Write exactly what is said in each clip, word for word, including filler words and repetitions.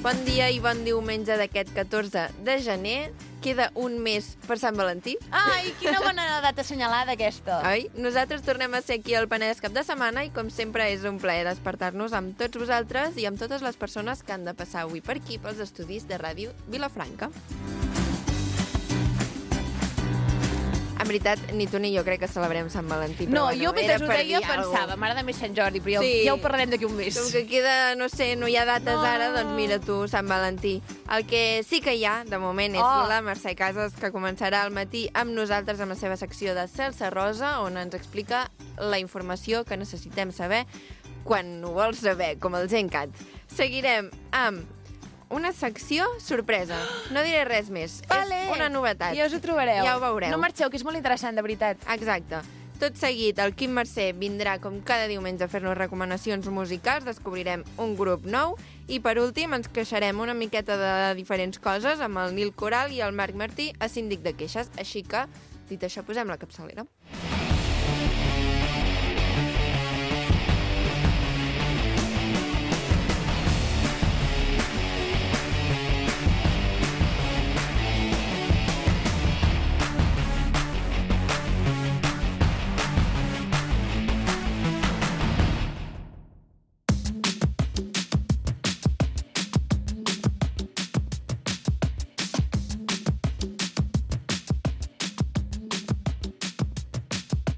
Bon dia i bon diumenge d'aquest catorze de gener. Queda un mes per Sant Valentí. Ai, quina bona data assenyalada aquesta. Oi? Nosaltres tornem a ser aquí al Penedès cap de setmana i com sempre és un plaer despertar-nos amb tots vosaltres i amb totes les persones que han de passar avui per aquí pels estudis de Ràdio Vilafranca. En veritat, ni tu ni jo crec que celebrem Sant Valentí. No, bueno, jo mentre ho per deia dir pensava, m'agrada més Sant Jordi, però ja, Sí. ja ho parlarem d'aquí un mes. Com que queda, no sé, no hi ha dates No. ara, doncs mira tu, Sant Valentí. El que sí que hi ha, de moment, és Oh. la Mercè Casas, que començarà al matí amb nosaltres amb la seva secció de Celsa Rosa, on ens explica la informació que necessitem saber quan ho vols saber, com el Gencat. Seguirem amb una secció sorpresa. No diré res més. Vale. És una novetat. Ja us ho trobareu. Ja ho veureu. No marxeu, que és molt interessant, de veritat. Exacte. Tot seguit, el Quim Mercè vindrà com cada diumenge a fer-nos recomanacions musicals, descobrirem un grup nou i per últim ens queixarem una miqueta de diferents coses amb el Nil Coral i el Marc Martí a Síndic de Queixes. Així que, dit això, posem la capçalera.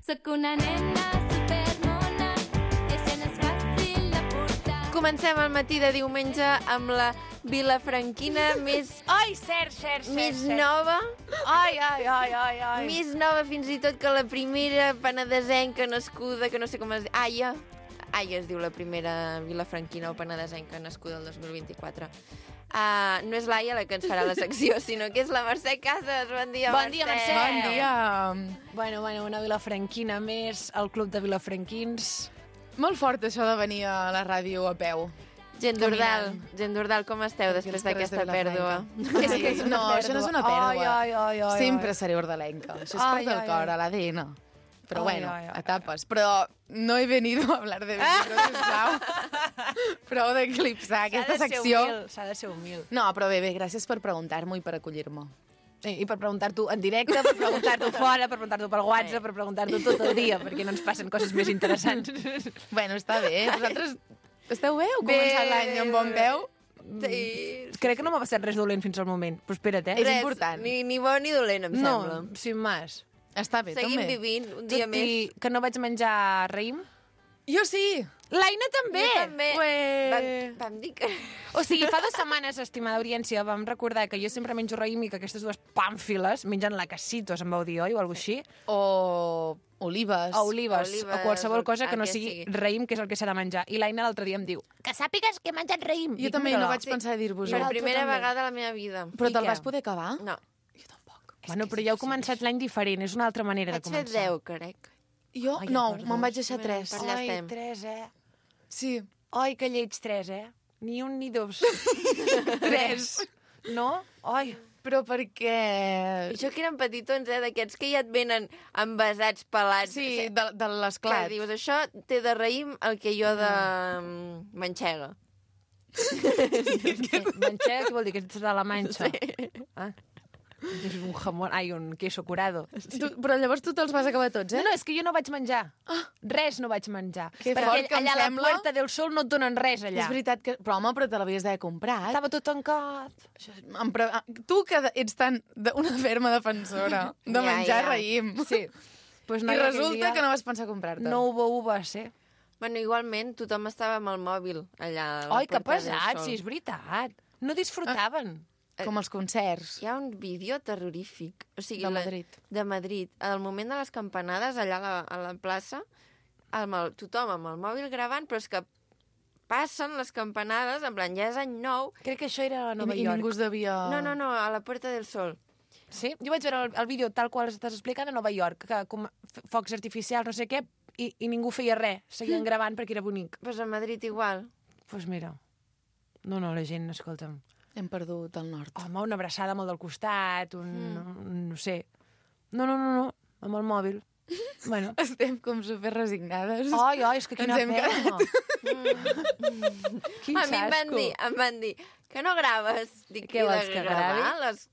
Soc una nena supermona, això no és fàcil de portar. Comencem el matí de diumenge amb la vilafranquina més, Ai, cert, cert, cert. més cert. nova, Ai, ai, ai, ai, ai. més nova fins i tot que la primera penedesenca nascuda, que no sé com es diu, Aia. Aia es diu la primera vilafranquina o penedesenca nascuda el dos mil vint-i-quatre. Uh, no és l'Aia la que ens farà la secció, sinó que és la Mercè Casas. Bon dia, Bon dia, Mercè. Bon dia. Bueno, bueno, una vilafranquina més, el club de vilafranquins. Molt fort això de venir a la ràdio a peu. Gent d'Ordal, gent d'Ordal, com esteu Aquí després als carrers de d'aquesta pèrdua? Vilafranca. És que és una no, pèrdua. això no és una pèrdua. Ai, ai, ai, ai, Sempre ai. seré ordalenca. Això és Ai, part del ai, cor, ai. a l'A D N. Però Ai, bueno, ai, ai, etapes. Però no he venido a hablar de venido, sisplau. Prou d'eclipsar aquesta secció. S'ha de ser humil. No, però bé, bé, gràcies per preguntar-m'ho i per acollir-me. I, I per preguntar-t'ho en directe, per preguntar-t'ho fora, per preguntar-t'ho pel WhatsApp, per preguntar-t'ho tot el dia, perquè no ens passen coses més interessants. Bueno, està bé. Vosaltres esteu bé? Heu Bé. començat l'any amb bon peu? Sí. Crec que no m'ha passat res dolent fins al moment, però espera't, eh? És Res, important. Ni, ni bo ni dolent, em No, sembla. sin más. Està bé, Seguim també. vivint un dia Tot més. i que no vaig menjar raïm. Jo sí. L'Aina també! Jo també. Ué. Vam, vam dir que... O sigui, fa dues setmanes, estimada audiència, vam recordar que jo sempre menjo raïm i que aquestes dues pàmfiles mengen lacasitos, em vau dir, oi? O alguna cosa així. O olives. O olives, Olives, o qualsevol o cosa que el no que sigui sigui. raïm, que és el que s'ha de menjar. I l'Aina l'altre dia em diu que sàpigues que he menjat raïm. Jo Dic, també no mira-la. vaig pensar a dir-vos-ho. Per tu primera també. vegada a la meva vida. Però I te'l què? vas poder acabar? No. Jo tampoc. Bueno, però ja heu començat l'any diferent, és una altra manera Vaig de fer començar. deu, crec. Jo, Ai, no, perdó. me'n vaig deixar tres. Per allà Ai, estem. tres, eh? Sí. Ai, que lleig, tres, eh? Ni un ni dos. tres. No? Ai. Però perquè... Això que eren petitons, eh, d'aquests que ja et venen envasats, pelats. Sí, de, de Que l'esclat. dius, això té de raïm el que jo de mm, manxega. Manxega, què vol dir? Que ets de la Manxa? Sí. Ah. És un jamón, ai, un queso curado. Tu, però llavors tu te'ls vas acabar tots, No, eh? no, és que jo no vaig menjar. Res no vaig menjar. Que Perquè fort que em allà a la sembla. Puerta del Sol no et donen res, allà. És veritat que... Però, home, però te l'havies d'haver comprat. Estava tot tancat. Això, em pre... Tu que ets tan de- una ferma defensora de Ja, menjar ja. raïm. Sí. Pues I noia, aquell resulta dia que no vas pensar comprar-te. no hubo uvas, eh? Bueno, igualment, tothom estava amb el mòbil allà a la Ai, que Puerta del pesat, Sol. sí, és veritat. No disfrutaven. Com els concerts. Hi ha un vídeo terrorífic. O sigui, De la- Madrid. De Madrid. Al moment de les campanades, allà a la, a la plaça, amb el, tothom amb el mòbil gravant, però és que passen les campanades, en plan, ja és any nou. Crec que això era a Nova I, I York. ningú es devia... No, no, no, a la Puerta del Sol. Sí? Jo vaig veure el, el vídeo tal qual estàs explicant a Nova York, que com f- focs artificials, no sé què, i, i ningú feia res. Seguien gravant perquè era bonic. Doncs pues a Madrid igual. Doncs pues mira. No, no, la gent, escolta'm. Hem perdut el nord. Home, una abraçada molt del costat, un, mm. un... no sé. No, no, no, no, amb el mòbil. Bueno. Estem com super resignades. Ai, ai, és que quina Ens hem pena. Mm. Quin A mi em van xasco. dir, em van dir Que no graves? Dic, Què i vols, de que gravar gravi? Les...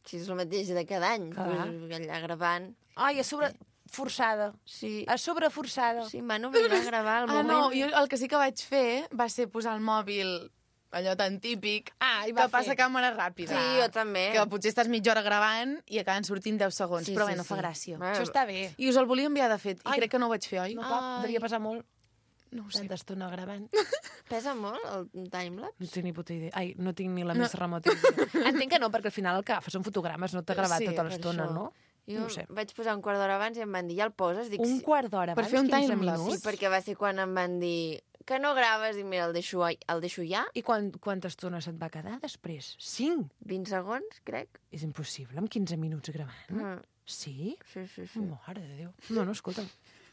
Si és el mateix de cada any, Clar. pues, allà gravant. Ai, a sobre... Forçada. Sí, A sobre forçada. sí, em van obligar a gravar al Ah, moment. no, jo el que sí que vaig fer va ser posar el mòbil, allò tan típic, Ah, i que va passa fer. càmera ràpida. Sí, jo també. Que potser estàs mitja hora gravant i acaben sortint deu segons, Sí, però sí, bé, no fa sí. gràcia. Bueno, Això està bé. I us el volia enviar, de fet, i Ai. crec que no ho vaig fer, oi? No, pap, Ai. devia passar molt. No ho sé. Tanta estona gravant. Pesa molt el timelapse? No tinc ni puta idea. Ai, no tinc ni la més remota idea. Entenc que no, perquè al final el que agafes són fotogrames, no t'ha gravat Sí, tota per l'estona, això. no? Jo No ho sé. vaig posar un quart d'hora abans i em van dir, ja el poses? Dic, Un sí. quart d'hora Per abans, fer un quinze timelapse. minuts. Sí, perquè va ser quan em van dir que no graves i mira, el deixo, el deixo ja. I quan, quanta estona se't va quedar després? Cinc? vint segons, crec. És impossible, amb quinze minuts gravant. Mm. Sí? Sí, sí, sí. Mare de Déu. No, no, escolta'm.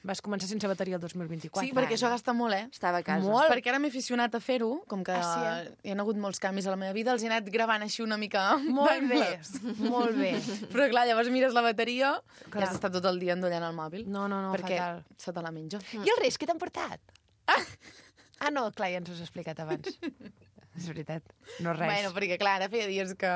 Vas començar sense bateria el dos mil vint-i-quatre. Sí, perquè això gasta molt, eh? Estava a casa. Molt. Perquè ara m'he aficionat a fer-ho, com que Ah, sí, eh? hi ha hagut molts canvis a la meva vida, els he anat gravant així una mica... Molt bé, timelapse. molt bé. Però clar, llavors mires la bateria i Clar. has d'estar tot el dia endollant el mòbil. No, no, no, perquè fatal. se te la menja. I els Reis, què t'han portat? Ah, no, clar, ja ens ho has explicat abans. És veritat, no res. Bueno, perquè clar, ara feia dies que,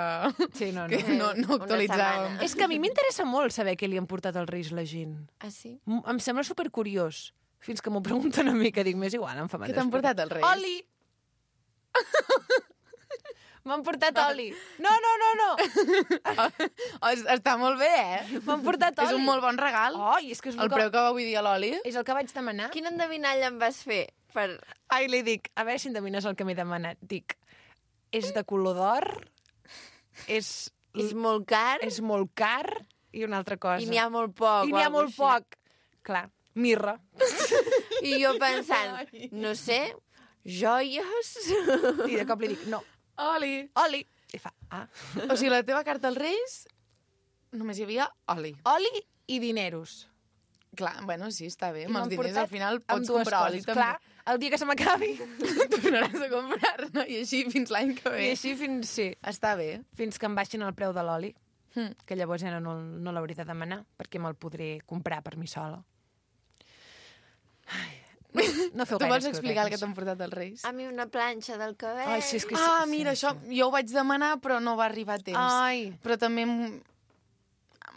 Sí, no, no. que no, no Una actualitzàvem. setmana. És que a mi m'interessa molt saber què li han portat als Reis la gent. Ah, sí? M- Em sembla supercuriós. Fins que m'ho pregunten a mi, que dic, m'és igual, em fa Què t'han portat els Reis? Oli! M'han portat oli. No, no, no, no. Oh, es- està molt bé, eh? M'han portat oli. És un molt bon regal. Ai, és que és el, El preu que va vull dir a l'oli. és el que vaig demanar. Quin endevinall em vas fer? Per... Ai, li dic, a veure si endevines el que m'he demanat. Dic, és de color d'or, és, És molt car és molt car i una altra cosa. i n'hi ha molt poc. I o n'hi ha algo molt així. poc. Clar, mirra. I jo pensant, no sé, joies... I de cop li dic, no, Oli. oli. I fa, ah, O sigui, la teva carta als Reis només hi havia oli. oli i dineros. Clar, bueno, sí, està bé. I Amb els m'han diners portat al final amb pots dues comprar oli coses. també. Clar, el dia que se m'acabi. Tornaràs a comprar-ne i així fins l'any que ve. I així fins, sí, Està bé. fins que em baixin el preu de l'oli. Hm. Que llavors ja no, no l'hauré de demanar, perquè me'l podré comprar per mi sola. Ai, no, no feu Tu gaires vols explicar el que croquetes. t'han portat els Reis? A mi una planxa del cabell. Ai, sí, és que Ah, sí, mira, sí, això sí. jo ho vaig demanar, però no va arribar a temps. Ai, Però també em,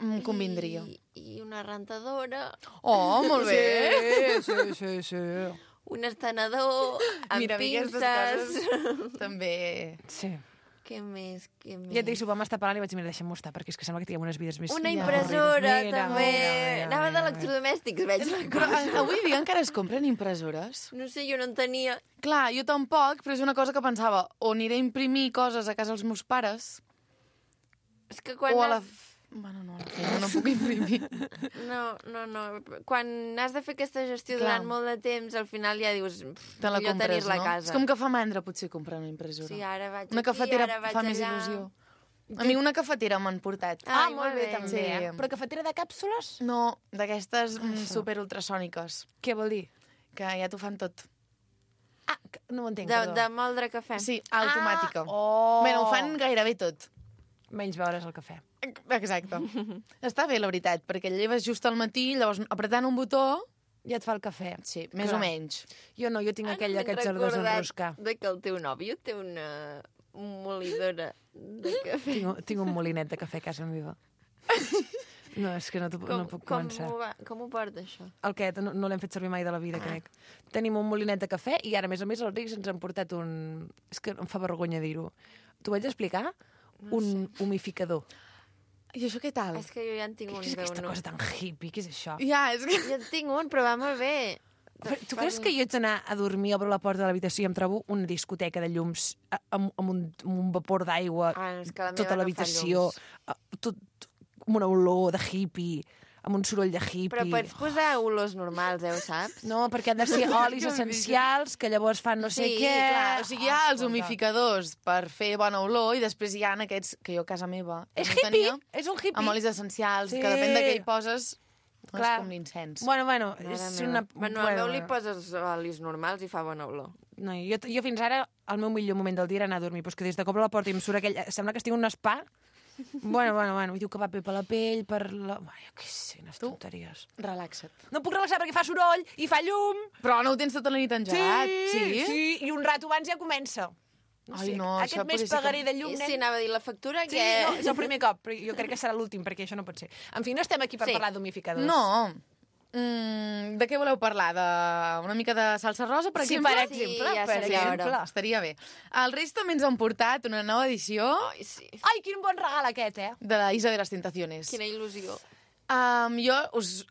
em convindria. I, I una rentadora, Oh, molt bé. sí, sí, sí, sí. un estenedor, amb Mira, a mi aquestes pinces... coses també... Sí. Què més, què més? Ja et dic, si ho vam estar parlant i vaig dir, mira, deixa'm-ho estar, perquè és que sembla que tinguem unes vides més... Una Ja. impressora, Mira, també. mira, mira, Anava mira, d'electrodomèstics, veig la Però cosa. a- avui dia encara es compren impressores? No sé, jo no en tenia... Clar, jo tampoc, però és una cosa que pensava, o aniré a imprimir coses a casa dels meus pares, És que quan o a la... has... Bueno, no, a la feina no puc imprimir. No, no, no. Quan has de fer aquesta gestió Clar. durant molt de temps, al final ja dius... pff, Te la millor compres, tenir-la no? a casa. És com que fa mandra, potser, comprar una impressora. Sí, ara vaig Una aquí, cafetera ara vaig fa més allà. il·lusió. A mi una cafetera m'han portat. Ah, Ah, molt bé, també. Sí. Eh? Però cafetera de càpsules? No, d'aquestes mm, super ultrasòniques, Què vol dir? que ja t'ho fan tot. Ah, que- no ho entenc, De, perdó. de moldre cafè. Sí, automàtica. Ah, oh. Bueno, ho fan gairebé tot. Menys beure's el cafè. Exacte. Està bé, la veritat, perquè el lleves just al matí, llavors apretant un botó... Ja et fa el cafè. Sí, més Clar. o menys. Jo no, jo tinc Ara aquella m'he que ets de recordat desenroscar. de que el teu nòvio té una molidora de cafè. Tinc, un- tinc un molinet de cafè a casa meva. No, és que no, t'ho- no puc com, començar. ho va, com ho porta, això? El què? No, no l'hem fet servir mai de la vida, crec. Tenim un molinet de cafè i ara, a més a més, els rics ens han portat un... És que em fa vergonya dir-ho. T'ho vaig explicar? Un humificador. I això què tal? És que jo ja en tinc un Què és aquesta d'un- cosa tan hippie? Què és això? Ja, és que... Jo en tinc un, però va molt bé. Però tu creus que jo haig d'anar a dormir, obro la porta de l'habitació i em trobo una discoteca de llums a- amb, amb, un, amb un vapor d'aigua, Ah, és que la meva tota no fa l'habitació, llums. a- tot, amb una olor de hippie, amb un soroll de hippie. Però pots posar olors normals, eh, ho saps? No, perquè han de ser olis essencials que llavors fan no sé Sí, què. Clar, o sigui, hi ha els escolta. humificadors per fer bona olor i després hi ha aquests que jo a casa meva És no hippie, tenia, és un hippie. amb olis essencials, Sí. que depèn de què hi poses, no Clar. és com l'incens. Bueno, bueno, Mare és meva. una... Bueno, al meu li poses olis normals i fa bona olor. No, jo, jo fins ara, el meu millor moment del dia era anar a dormir, però és que des de cop a la porta i em surt aquell... Sembla que estic en un spa. Bueno, bueno, bueno, i diu que va bé per la pell, per la... Ai, jo què sé, unes tonteries. Relaxa't. No puc relaxar perquè fa soroll i fa llum. Però no ho tens tota la nit engegat. sí, sí, i un rato abans ja comença. No Ai, sé, no, aquest això mes podria ser pagaré que- de llum, I nen. si anava a dir la factura, Sí, que... no, és el primer cop, però jo crec que serà l'últim, perquè això no pot ser. En fi, no estem aquí per Sí. parlar d'humificadors. No. Mm, de què voleu parlar? De una mica de salsa rosa, per Sí, exemple? per Sí, exemple, ja per seria exemple. hora. Estaria bé. Els Reis també ens han portat una nova edició Ai, sí. Ai, quin bon regal aquest, eh? de la Isla de les Tentaciones. Quina il·lusió. Um, jo us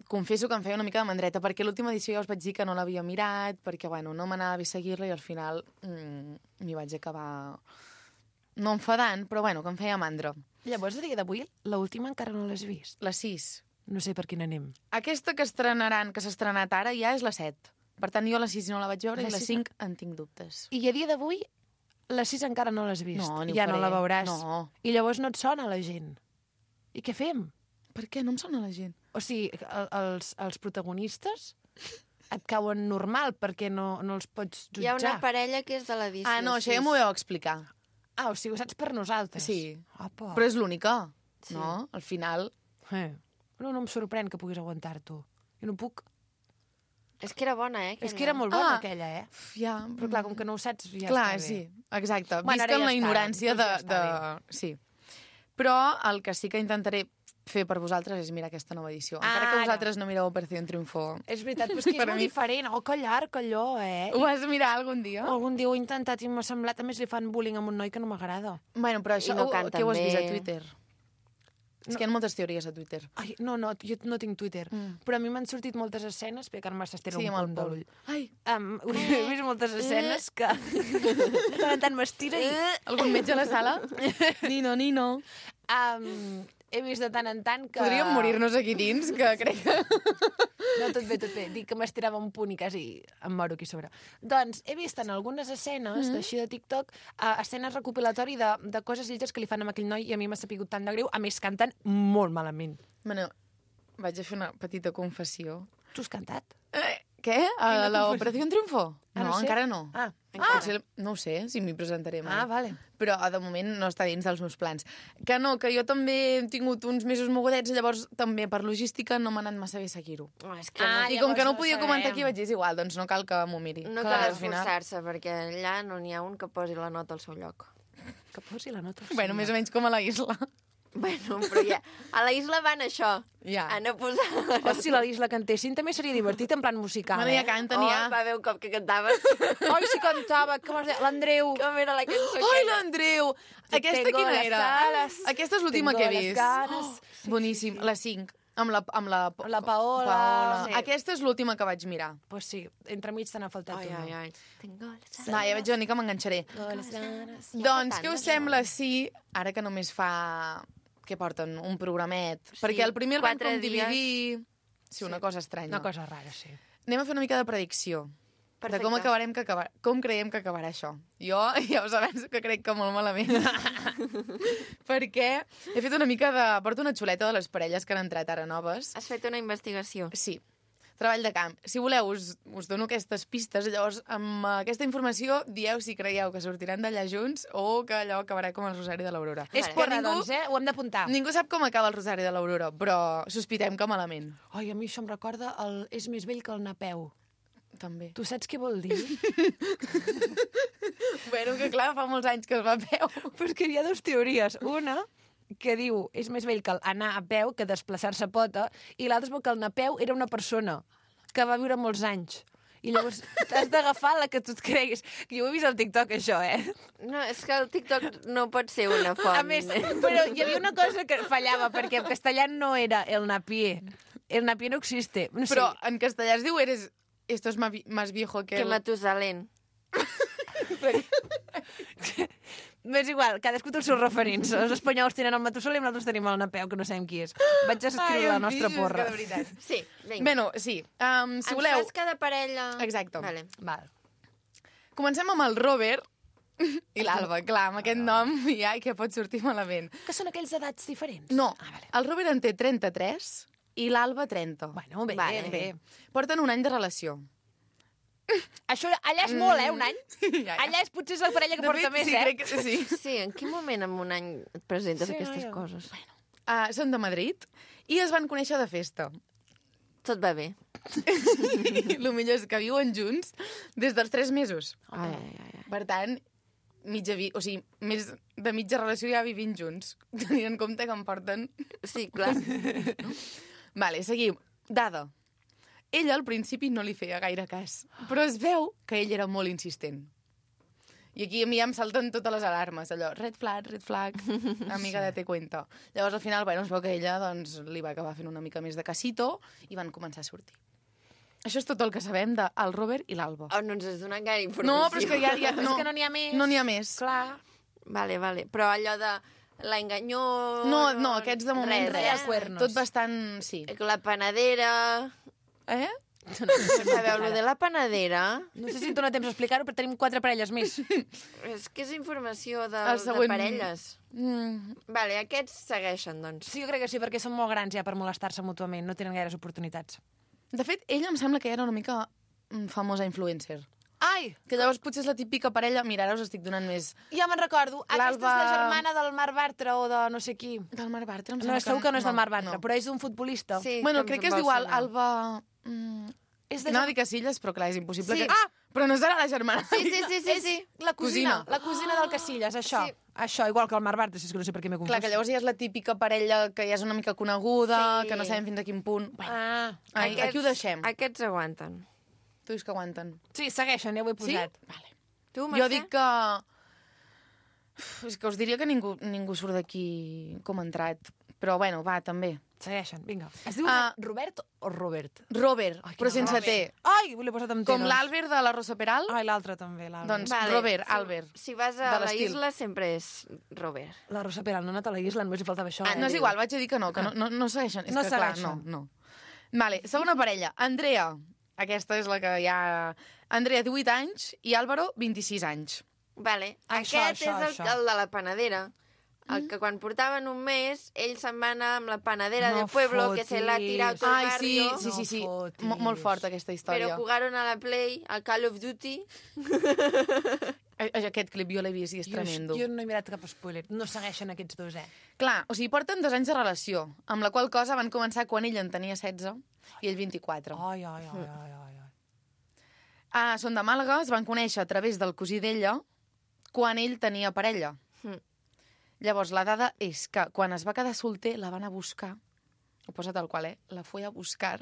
confesso que em feia una mica de mandreta, perquè l'última edició ja us vaig dir que no l'havia mirat, perquè, bueno, no m'anava bé seguir-la i al final mm, m'hi vaig acabar no enfadant, però, bueno, que em feia mandra. Llavors, a dia d'avui, l'última encara no l'has vist. La sis. No sé per quina anem. Aquesta que estrenaran, que s'ha estrenat ara, ja és la set. Per tant, jo la sis no la vaig veure La i la sis- cinc en tinc dubtes. I a dia d'avui, la sis encara no l'has vist. No, ni ho ja no faré. la veuràs. No. I llavors no et sona la gent. I què fem? Per què? No em sona la gent. O sigui, el, els, els protagonistes et cauen normal perquè no, no els pots jutjar. Hi ha una parella que és de l'edició Ah, no, això ja sis. m'ho vau explicar. Ah, o sigui, ho saps per nosaltres? Sí. Apa. Però és l'única, Sí. no? Al final... Eh. No, no em sorprèn que puguis aguantar-t'ho. Jo no puc. És que era bona, eh? És que era molt bona, Ah. aquella, eh? Uf, ja... Però clar, com que no ho saps, ja Clar, està bé. sí, exacte. Bueno, ara Visc en ja la està, ignorància doncs de... ja de... està Sí. Però el que sí que intentaré fer per vosaltres és mirar aquesta nova edició. Encara que Ara. vosaltres no mireu Operación Triunfo. És veritat, però és que és Per molt mi- diferent. Oh, que llarg, allò, eh? Ho vas mirar algun dia? Algun dia ho he intentat i m'ha semblat... A més, li fan bullying a un noi que no m'agrada. Bueno, però això I no ho- canten què ho has vist a bé. Twitter? És No. que hi ha moltes teories a Twitter. Ai, no, no, jo no tinc Twitter. Mm. Però a mi m'han sortit moltes escenes, perquè ara m'estira Sí, un amb el punt de Pol. l'ull. Ai, Um, he vist moltes escenes que de tant en tant m'estira i... algun metge a la sala? Nino, Nino. Um, he vist de tant en tant que... Podríem morir-nos aquí dins, que crec que... No, tot bé, tot bé. Dic que m'estirava un punt i quasi em moro aquí sobre. Doncs he vist en algunes escenes, mm -hmm. d'així de TikTok, uh, escenes recopilatori de, de coses lletges que li fan a aquell noi i a mi m'ha sapigut tant de greu. A més, canten molt malament. Bueno, vaig a fer una petita confessió. Tu has cantat? Eh, què? A la confessió? Operación Triunfo? Ah, no, no sé. encara no. Ah, Ah! Potser, no ho sé, si m'hi presentaré mai. Ah, vale. Però de moment no està dins dels meus plans. Que no, que jo també he tingut uns mesos mogudets, llavors també per logística no m'ha anat massa bé seguir-ho. Oh, és que Ah, no, I com que no llavors ho podia no comentar sabem. aquí, vaig dir, és igual, doncs no cal que m'ho miri. no Clar, cal al final- esforçar-se, perquè allà no n'hi ha un que posi la nota al seu lloc. Que posi la nota. Bueno, més o menys com a la isla. Bueno, però ja... A la isla van això. Ja. A no posar... O si la Isla cantessin també seria divertit en plan musical, Bueno, eh? ja canten, Oh, ja. va haver un cop que cantaves. Ai, si cantava, com es deia? L'Andreu. Com era la cançó Ai, aquella? l'Andreu! Aquesta Tengo quina las era? alas, Aquesta és l'última tengo que he las vist. ganas. Oh, boníssim, la cinc. Amb la, amb la, Amb la Paola. Paola. Sí. Aquesta és l'última que vaig mirar. Pues sí, entremig te n'ha faltat Ai, una. ai, ai. Tengo les Va, ja veig una mica que m'enganxaré. Tengo las ganas. Ja Doncs fa què tant, us això. sembla si, ara que només fa, què porten, un programet, Sí, perquè el primer el van quatre com dies. dividir... Sí, una cosa estranya. Una cosa rara, sí. Anem a fer una mica de predicció. Perfecte. De com acabarem que acabar, com creiem que acabarà això. Jo ja us avanço que crec que molt malament. Perquè he fet una mica de... Porto una xuleta de les parelles que han entrat ara noves. Has fet una investigació. Sí, treball de camp. Si voleu, us, us dono aquestes pistes. Llavors, amb aquesta informació, dieu si creieu que sortiran d'allà junts o que allò acabarà com el Rosari de l'Aurora. És Vale. porra, Que ningú- doncs, eh? Ho hem d'apuntar. Ningú sap com acaba el Rosari de l'Aurora, però sospitem que malament. Ai, a mi això em recorda el és més vell que el Napeu. També. Tu saps què vol dir? Bueno, que clar, fa molts anys que es va a peu. Però és que hi ha dues teories. Una, que diu és més vell que el anar a peu que desplaçar-se a pota, i l'altra és que el Napeu era una persona que va viure molts anys. I llavors t'has d'agafar la que tu et creguis. Jo ho he vist al TikTok, això, eh? No, és que el TikTok no pot ser una font. A més, però hi havia una cosa que fallava, perquè en castellà no era el napié. El napié no existe. No sé. Però en castellà es diu eres... Esto es ma- más viejo que... Que el- Matusalén. És igual, cadascú té els seus referents. Els espanyols tenen el Matusalén i nosaltres tenim el Napeu, que no sabem qui és. Vaig a escriure la em nostra pixes, porra. que de veritat. Sí, vinga. Bueno, sí. Um, si Ens voleu... fas cada parella... Exacte. Vale. Val. Comencem amb el Robert i l'Alba. Clar, amb aquest nom ja què pot sortir malament. Que són aquells edats diferents? No, Ah, vale. el Robert en té trenta-tres i l'Alba trenta. Bueno, bé, Vale. bé. Porten un any de relació. Això allà és molt, eh, un any? Ja, ja. Allà és potser és la parella que De porta fet, més, sí, eh? crec que sí. Sí, en quin moment en un any et presentes Sí, aquestes noia. coses? Uh, són de Madrid i es van conèixer de festa. Tot va bé. El millor és que viuen junts des dels tres mesos. Ai, ai, ai. Per tant, mitja vi... o sigui, més de mitja relació ja vivint junts, tenint en compte que em porten... Sí, clar. Vale, seguim. Dada. Ella al principi no li feia gaire cas, però es veu que ell era molt insistent. I aquí a mi ja em salten totes les alarmes, allò, red flag, red flag, amiga de te cuenta. Llavors, al final, bueno, es veu que ella doncs, li va acabar fent una mica més de casito i van començar a sortir. Això és tot el que sabem del Robert i l'Alba. Oh, no ens has donat gaire informació. No, però és que ja... ja No. És que no n'hi ha més. No n'hi ha més. Clar. Vale, vale. Però allò de l'enganyó... No, no, aquests de moment res. res. Eh? Cuernos. Tot bastant... Sí. La panadera... Eh? Sabeu, lo de la panadera... No sé si em dóna temps d'explicar-ho, però tenim quatre parelles més. És que és informació de, El següent- de parelles. Mm. Vale, aquests segueixen, doncs. Sí, jo crec que sí, perquè són molt grans ja per molestar-se mútuament, no tenen gaires oportunitats. De fet, ella em sembla que era una mica mm, famosa influencer. Ai! Que llavors potser és la típica parella... Mira, ara us estic donant més... Ja me'n recordo. Aquesta és la L'Alba- germana del Marc Bartra o de no sé qui. Del Marc Bartra, em No, sembla segur que no és del Marc Bartra, no. però és d'un futbolista. Sí, Bueno, em- crec em que es vol diu Al- sonar. Alba... Mm, És de Anava a gem- dir Casillas, però clar, és impossible Sí. que... Ah! Però no serà la germana. Sí, sí, sí, sí, sí. La cosina, Cosina. la cosina del Casillas, això. Sí. Això, igual que el Marc Bartra, si és que no sé per què m'he confós. Clar, que llavors ja és la típica parella que ja és una mica coneguda, Sí. que no sabem fins a quin punt... Bueno, Ah, ai, aquí ho deixem. Aquests aguanten. Tu dius que aguanten. sí, segueixen, ja ho he Sí? posat. Vale. Tu, Jo Mercè? dic que... Uf, és que us diria que ningú, ningú surt d'aquí com ha entrat. Però bueno, va, també. Segueixen, vinga. Es diu Ah. Robert o Robert? Robert, Ai, però quin sense Robert. T. Ai, l'he posat amb T, Com doncs. l'Albert de la Rosa Peral. Ai, l'altre també, l'Albert. Doncs Robert, Albert. Si vas a de la l'estil. isla, sempre és Robert. La Rosa Peral no ha anat a la isla, només li faltava això. Ah, no és diu. igual, vaig a dir que no, que no, no, no segueixen. És No que, clar, segueixen. no, no. Vale, segona parella. Andrea. Aquesta és la que ja... Andrea, divuit anys, i Álvaro, vint-i-sis anys. Vale. Això, Aquest això, és el, això. el de la panadera. El que quan portaven un mes, ell se'n va anar amb la panadera No del pueblo, que se l'ha fotis. tirat tot el Ai, sí, barrio. sí, sí, sí. No fotis. Mo- molt forta aquesta història. Però jugaron a la Play, al Call of Duty. A- Aquest clip jo l'he vist i és Jo, tremendo. jo no he mirat cap spoiler. No segueixen aquests dos, eh? Clar, o sigui, porten dos anys de relació, amb la qual cosa van començar quan ell en tenia setze i ell vint-i-quatre. Ai, ai, ai, ai, ai, ai. Ah, són de Màlaga, es van conèixer a través del cosí d'ella quan ell tenia parella. Mm. Llavors, la dada és que quan es va quedar solter la van a buscar, ho posa tal qual, eh? La fue a buscar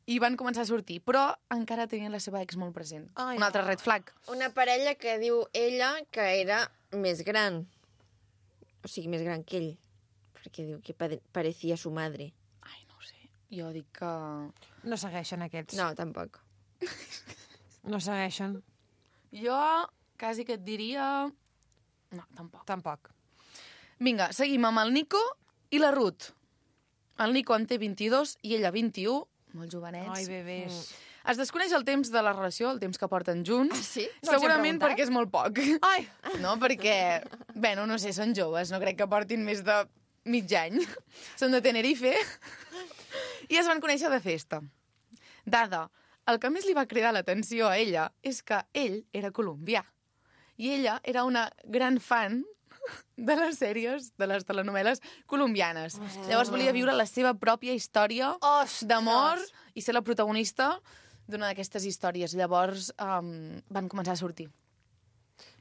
i van començar a sortir, però encara tenien la seva ex molt present. Ai, Un altre red flag. Una parella que diu ella que era més gran. O sigui, més gran que ell. Perquè diu que pare- parecía su madre. Ai, no ho sé. Jo dic que... No segueixen aquests. No, tampoc. No segueixen. Jo quasi que et diria... No, tampoc. Tampoc. Vinga, seguim amb el Nico i la Ruth. El Nico en té vint-i-dos i ella vint-i-u, molt jovenets. Ai, bebès. Es desconeix el temps de la relació, el temps que porten junts. Ah, sí? No els hem Segurament preguntat. perquè és molt poc. Ai! No, perquè, bueno, no sé, són joves, no crec que portin més de mig any. Són de Tenerife. I es van conèixer de festa. Dada, el que més li va cridar l'atenció a ella és que ell era colombià. I ella era una gran fan de les sèries, de les telenovel·les colombianes. Llavors volia viure la seva pròpia història Ostres! d'amor i ser la protagonista d'una d'aquestes històries. Llavors um, van començar a sortir.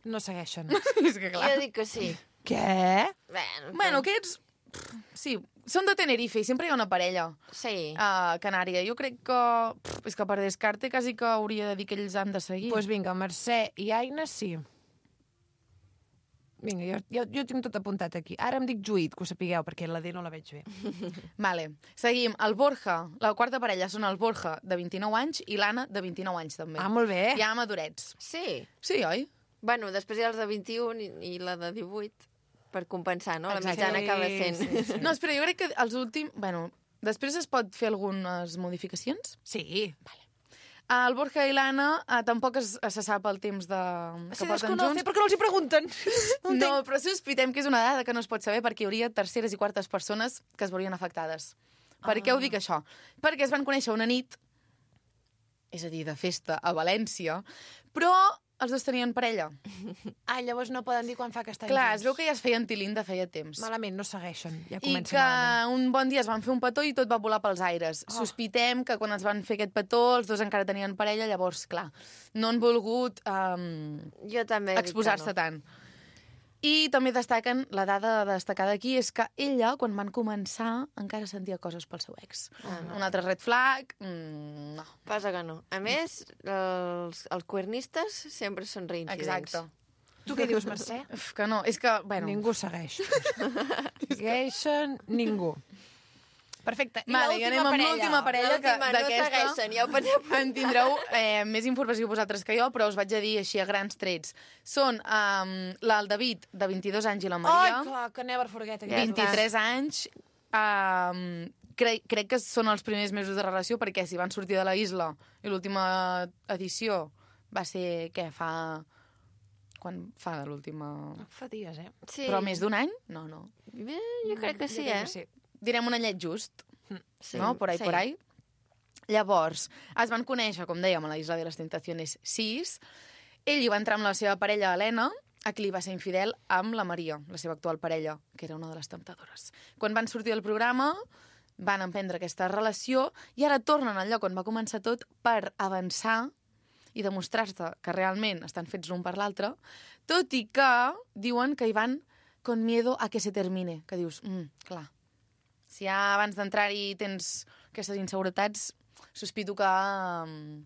No segueixen. És que clar... Jo dic que sí. Què? Bueno, Bueno, aquests... pff, sí, són de Tenerife i sempre hi ha una parella Sí. a Canària. Jo crec que... Pff, és que per descarte quasi que hauria de dir que ells han de seguir. Doncs pues vinga, Mercè i Aina, sí. Vinga, jo, jo, jo tinc tot apuntat aquí. Ara em dic Juit, que ho sapigueu, perquè la D no la veig bé. Vale. Seguim. El Borja, la quarta parella són el Borja, de vint-i-nou anys, i l'Anna, de vint-i-nou anys, també. Ah, molt bé. Ja madurets. Sí. Sí, oi? Bueno, després hi ha els de vint-i-un i, i la de divuit, per compensar, no? La Exacte. mitjana acaba Sí, sent. sí, sí. No, espera, jo crec que els últims... Bueno, després es pot fer algunes modificacions? Sí. El Borja i l'Anna eh, tampoc es, se sap el temps de, que Se porten desconoce, junts. per què no els hi pregunten? No, No, entenc. però sospitem que és una dada que no es pot saber perquè hi hauria terceres i quartes persones que es veurien afectades. Per què ho dic això? Perquè es van conèixer una nit, és a dir, de festa a València, però els dos tenien parella. Ah, llavors no poden dir quan fa que estan Clar, junts. es veu que ja es feien tilín de feia temps. Malament, no segueixen. Ja I comença que malament. un bon dia es van fer un petó i tot va volar pels aires. Oh. Sospitem que quan es van fer aquest petó els dos encara tenien parella, llavors, clar, no han volgut um, Jo també dic que exposar-se no. tant. I també destaquen, la dada destacada aquí és que ella, quan van començar, encara sentia coses pel seu ex. Ah, no. Un altre red flag, mm, no. Passa que no. A més, els, els cuernistes sempre són reincidents. Exacte. Tu què dius, Mercè? Uf, que no, és que, bueno... Ningú segueix. Segueixen ningú. Perfecte. I Vale, i anem amb l'última parella que L'última no d'aquesta segueixen, ja ho penseu. en tindreu eh, més informació vosaltres que jo, però us vaig a dir així a grans trets. Són um, el David, de vint-i-dos anys, i la Maria, Ai, clar, que never forget. Ja vint-i-tres anys. Um, cre crec que són els primers mesos de relació, perquè si van sortir de la isla i l'última edició va ser, què, fa... Quan fa l'última... Fa dies, eh? Sí. Però més d'un any? No, no. Bé, jo crec que sí, Jo crec eh? que sí. Direm un anyet just, Sí, no? Por ahí, sí. por ahí. Llavors, es van conèixer, com dèiem, a la Isla de les Tentaciones sis. Ell hi va entrar amb la seva parella, Helena, a qui li va ser infidel amb la Maria, la seva actual parella, que era una de les temptadores. Quan van sortir del programa, van emprendre aquesta relació i ara tornen al lloc on va començar tot per avançar i demostrar-se que realment estan fets l'un per l'altre, tot i que diuen que hi van con miedo a que se termine, que dius, mm, clar, si ja abans d'entrar-hi tens aquestes inseguretats, sospito que um,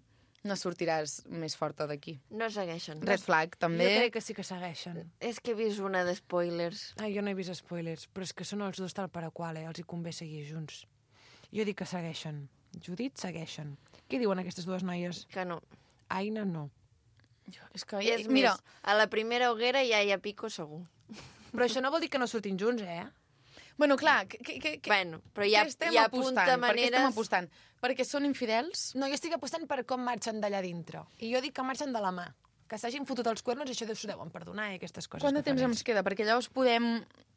no sortiràs més forta d'aquí. No segueixen. Red flag, també. Jo crec que sí que segueixen. És que he vist una de spoilers. Ai, jo no he vist spoilers, però és que són els dos tal per a qual, eh? Els hi convé seguir junts. Jo dic que segueixen. Judit, segueixen. Què diuen aquestes dues noies? Que no. Aina, no. Jo, és que, És mira, més, a la primera hoguera ja hi ha pico segur. Però això no vol dir que no surtin junts, eh? bueno, clar, que, que, que, Bueno, però hi ha, què estem hi ha apostant? punta Per què estem maneres... apostant? Perquè són infidels? No, jo estic apostant per com marxen d'allà dintre. I jo dic que marxen de la mà. Que s'hagin fotut els cuernos i això s'ho deuen perdonar i aquestes coses. Quant de que temps fan ens ells. queda? Perquè llavors podem...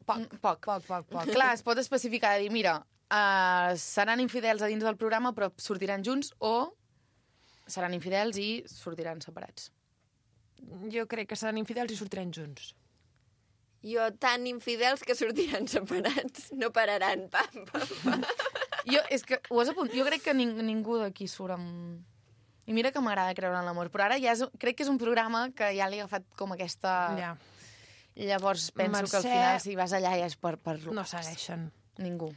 Poc. Poc. Poc, poc, poc. Clar, es pot especificar, dir, mira, uh, seran infidels a dins del programa però sortiran junts o seran infidels i sortiran separats. Jo crec que seran infidels i sortiran junts. Jo, tan infidels que sortiran separats. No pararan. Pam, pam, pam. Jo, és que ho has apunt... jo crec que ning ningú d'aquí surt amb... I mira que m'agrada creure en l'amor, però ara ja és, crec que és un programa que ja li ha agafat com aquesta... Ja. Llavors penso Mercè... que al final si vas allà ja és per... per... No segueixen. Ningú.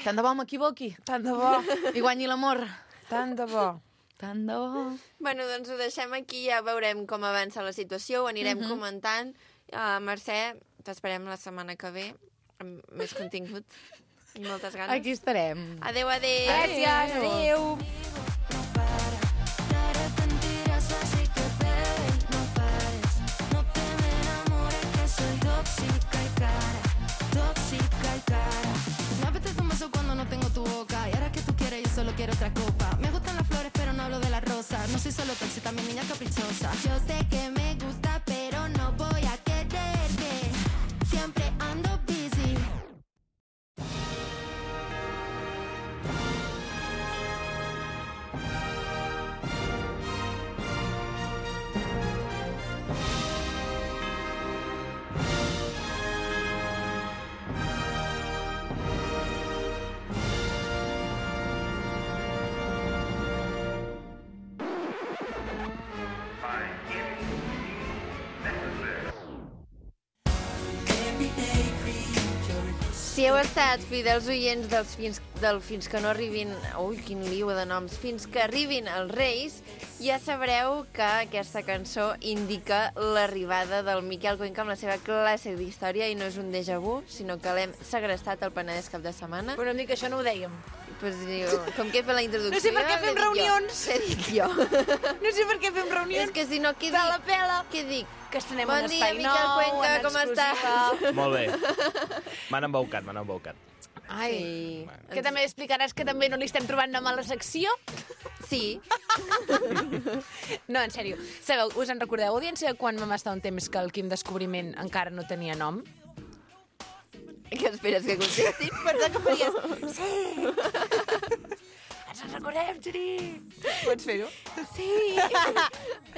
Tant de bo m'equivoqui. Tant de bo. I guanyi l'amor. Tant de bo. Tant de bo. Bueno, doncs ho deixem aquí, ja veurem com avança la situació, ho anirem Mhm. comentant. Uh, Mercè, t'esperem la setmana que ve amb més contingut i moltes ganes. Aquí estarem. Adéu, adéu. Gràcies. Adéu. Te arrepentirás, así que bebe y no pares. No te me enamores, que soy tóxica y cara, tóxica y cara. Me apetece un beso cuando no tengo tu boca. Y ahora que tú quieres, yo solo quiero otra copa. Me gustan las flores, pero no hablo de las rosas. No soy solo tóxica, también niña caprichosa. Yo sé que me gusta, pero no voy a quererte. Siempre ando busy. Si heu estat fidels oients dels fins, del fins que no arribin... Ui, quin lío de noms. Fins que arribin els Reis, ja sabreu que aquesta cançó indica l'arribada del Miquel Cuenca amb la seva classe d'història i no és un déjà vu, sinó que l'hem segrestat al Penedès cap de setmana. Però em dic que això no ho dèiem. Pues, diu, com que he fet la introducció... No sé per què l'he fem dit jo. reunions. L'he dit jo. No sé per què fem És reunions. que si no, què De la dic? pela. Què dic? Que estrenem Bon un dia, espai Miquel nou, Cuenca, en com exclusiva. estàs? Molt bé. M'han embaucat, m'han embaucat. Ai, Sí. que també explicaràs que també no li estem trobant nom a la secció? Sí. No, en sèrio. Sabeu, us en recordeu, audiència, quan vam estar un temps que el Quim Descobriment encara no tenia nom? Què esperes que contesti? Pensava que feies... Sí! Ens en recordem, Geri! Pots fer-ho? Sí.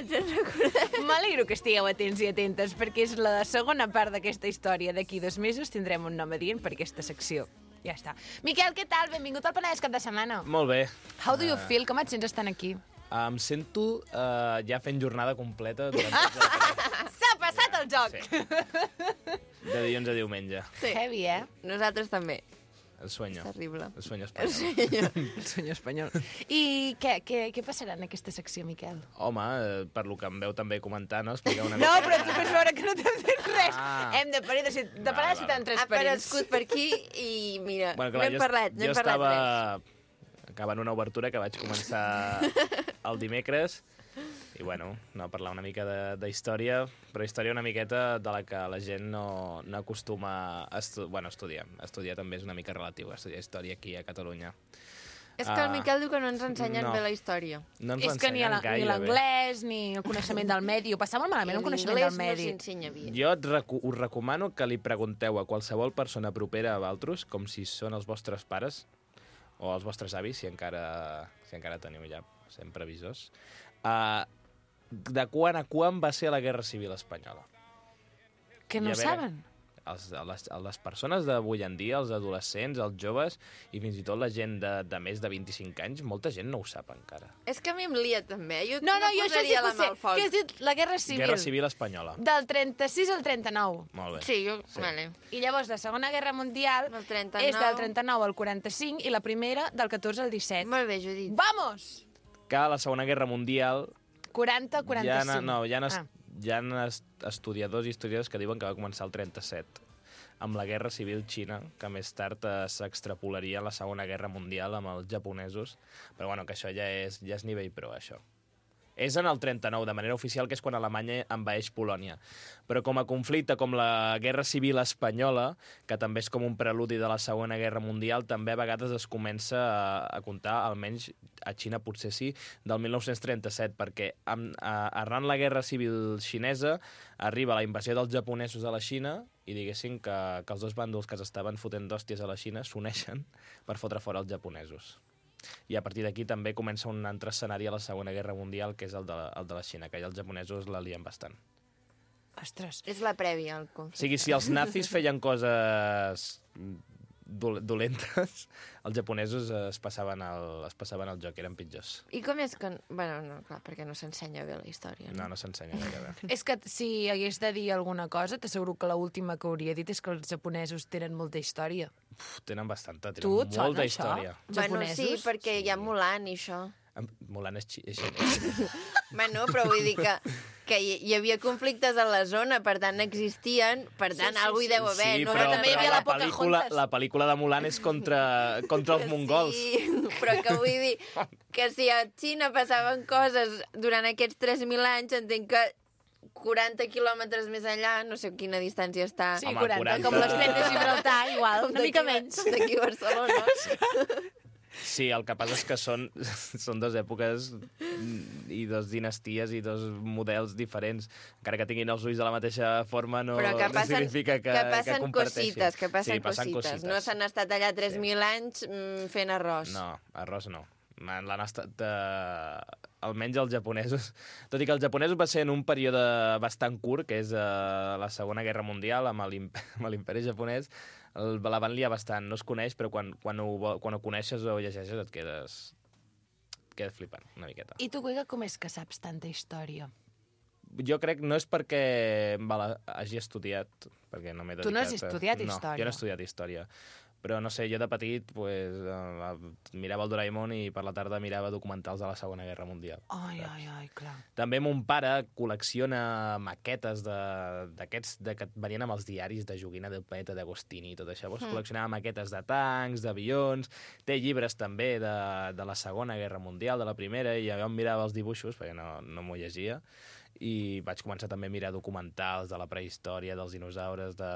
Ens en recordem. M'alegro que estigueu atents i atentes, perquè és la segona part d'aquesta història. D'aquí dos mesos tindrem un nom adient per aquesta secció. Ja està. Miquel, què tal? Benvingut al Penedès cap de setmana. Molt bé. How do you feel? Com et sents estant aquí? Em sento uh, ja fent jornada completa durant tot el... S'ha passat del joc. Sí. De dilluns a diumenge. Sí. Heavy, eh? Nosaltres també. El sueño. És terrible. El sueño espanyol. El senyor espanyol. I què, què, què passarà en aquesta secció, Miquel? Home, eh, per lo que em veu també comentar, no? Explicar una No, mica... però tu fes veure que no t'hem fet res. Ah. Hem de parir de, de Va, parar de va, citar va. en tres Ha perits. aparegut per aquí i mira, Bueno, no clar, hem jo, parlat, no jo hem parlat res. estava acabant una obertura que vaig començar el dimecres i, bueno, no, parlar una mica de, de història, però història una miqueta de la que la gent no, no acostuma a estu bueno, estudiar. Estudiar també és una mica relatiu, estudiar història aquí a Catalunya. És que el Ah, Miquel diu que no ens ensenyen no. bé la història. No ens ho És que ni a la- ensenyen ni gaire bé. l'anglès, ni el coneixement del medi. Ho passava molt malament, un coneixement del medi. no s'insenya bé. Jo et recu us recomano que li pregunteu a qualsevol persona propera a vosaltres, com si són els vostres pares o els vostres avis, si encara, si encara teniu ja sent previsors, uh, de quan a quan va ser la Guerra Civil Espanyola. Que I no a veure, saben. Els, les, les persones d'avui en dia, els adolescents, els joves i fins i tot la gent de, de més de vint-i-cinc anys, molta gent no ho sap encara. És que a mi em lia també. Jo No, no, jo això sí posaria que la ho mà sé. al foc. Què has dit? La Guerra Civil. Guerra Civil Espanyola. Del trenta-sis al trenta-nou. Molt bé. Sí, jo... Sí. Vale. I llavors la Segona Guerra Mundial Del trenta-nou. és del trenta-nou al quaranta-cinc i la primera del catorze al disset. Molt bé, Judit. Vamos! Que a la Segona Guerra Mundial quaranta hi quaranta-cinc. ha, no, hi ha, Ah. hi ha estudiadors i historiadors que diuen que va començar el trenta-set amb la Guerra Civil Xina, que més tard eh, s'extrapolaria a la Segona Guerra Mundial amb els japonesos, però bueno, que això ja és, ja és nivell pro, això. És en el trenta-nou, de manera oficial, que és quan Alemanya envaeix Polònia. Però com a conflicte, com la Guerra Civil Espanyola, que també és com un preludi de la Segona Guerra Mundial, també a vegades es comença a, a comptar, almenys a Xina potser sí, del mil nou-cents trenta-set, perquè amb, a, arran la Guerra Civil xinesa arriba la invasió dels japonesos a la Xina i diguéssim que, que els dos bàndols que s'estaven fotent d'hòsties a la Xina s'uneixen per fotre fora els japonesos. I a partir d'aquí també comença un altre escenari a la Segona Guerra Mundial, que és el de, el de la Xina, que allà els japonesos la lien bastant. Ostres. És la prèvia al O conflicte. sigui, si els nazis feien coses dol dolentes, els japonesos es passaven el, es passaven el joc, eren pitjors. I com és que... Bueno, no, clar, perquè no s'ensenya bé la història. No, no s'ensenya gaire bé. És que si hagués de dir alguna cosa, t'asseguro que l'última que hauria dit és que els japonesos tenen molta història. Uf, tenen bastanta, Tu tenen et sona molta això? història. Bueno, sí, Japonesos? perquè hi ha Mulan i això. Em- Mulan és, xi és xinès. Bueno, però vull dir que, que hi, hi havia conflictes a la zona, per tant existien, per tant, sí, sí, algú hi deu haver. Sí, no? però, també hi però havia la, la pel·lícula, Pocahontas. la pel·lícula de Mulan és contra, contra els mongols. Sí, però que vull dir que si a Xina passaven coses durant aquests tres mil anys, entenc que quaranta quilòmetres més enllà, no sé quina distància està. Sí, Home, quaranta, quaranta. com l'estret de Gibraltar, igual, Com una mica d'aquí- menys. com d'aquí a Barcelona. Sí, el que passa és que són, són dues èpoques i dos dinasties i dos models diferents. Encara que tinguin els ulls de la mateixa forma, no, Però que no significa significa que, que passen comparteixin. cosites, que passen, sí, passen cosites. cosites. No s'han estat allà tres Sí. mil anys mm, fent arròs. No, arròs no. L'han estat... Eh, almenys els japonesos... Tot i que els japonesos va ser en un període bastant curt, que és eh, la Segona Guerra Mundial, amb l'imp- amb l'imperi japonès, el, la van liar bastant. No es coneix, però quan, quan, ho, vo- quan ho coneixes o ho llegeixes et quedes... et quedes flipant, una miqueta. I tu, Cuiga, com és que saps tanta història? Jo crec no és perquè me la hagi estudiat, perquè no m'he dedicat... Tu no has estudiat a... història. No, jo no he estudiat història. Però, no sé, jo de petit pues, eh, mirava el Doraemon i per la tarda mirava documentals de la Segona Guerra Mundial. Ai, ai, ai, clar. També mon pare col·lecciona maquetes de- d'aquests de, que venien amb els diaris de Joguina del Planeta d'Agostini i tot això. Pues, Mm. col·leccionava maquetes de tancs, d'avions, té llibres també de, de la Segona Guerra Mundial, de la Primera, i jo em mirava els dibuixos, perquè no, no m'ho llegia, i vaig començar també a mirar documentals de la prehistòria, dels dinosaures, de,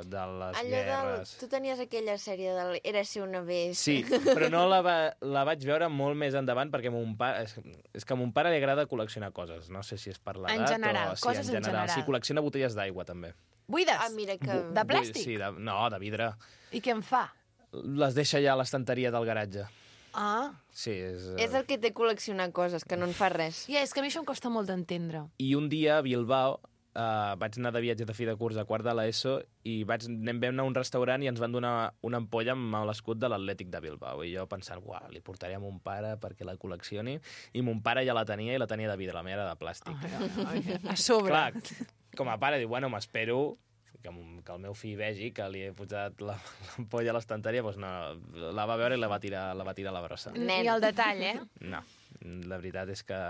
de les Allò guerres... del... Tu tenies aquella sèrie del Érase una vez. Sí, però no la, va, la vaig veure molt més endavant perquè mon pare, és, és que a mon pare li agrada col·leccionar coses. No sé si és per l'edat En general, o... Sí, coses en general. Sí, col·lecciona botelles d'aigua, també. Buides? Ah, mira que... De plàstic? Sí, de, no, de vidre. I què en fa? Les deixa ja a l'estanteria del garatge. Ah, Sí, és... És el que té col·leccionar coses, que no en fa res. ja, és que a mi això em costa molt d'entendre. I un dia a Bilbao uh, vaig anar de viatge de fi de curs a quart de l'ESO i vaig, anem vam anar a un restaurant i ens van donar una ampolla amb l'escut de l'Atlètic de Bilbao. I jo pensant, uah, li portaré a mon pare perquè la col·leccioni. I mon pare ja la tenia i la tenia de vidre, la meva era de plàstic. Ai, ai, ai, a sobre. Clar, com a pare, diu, bueno, m'espero que, que el meu fill vegi que li he posat la- l'ampolla a l'estanteria, doncs no, la va veure i la va tirar, la va tirar a la brossa. Nen. Ni el detall, eh? No, la veritat és que...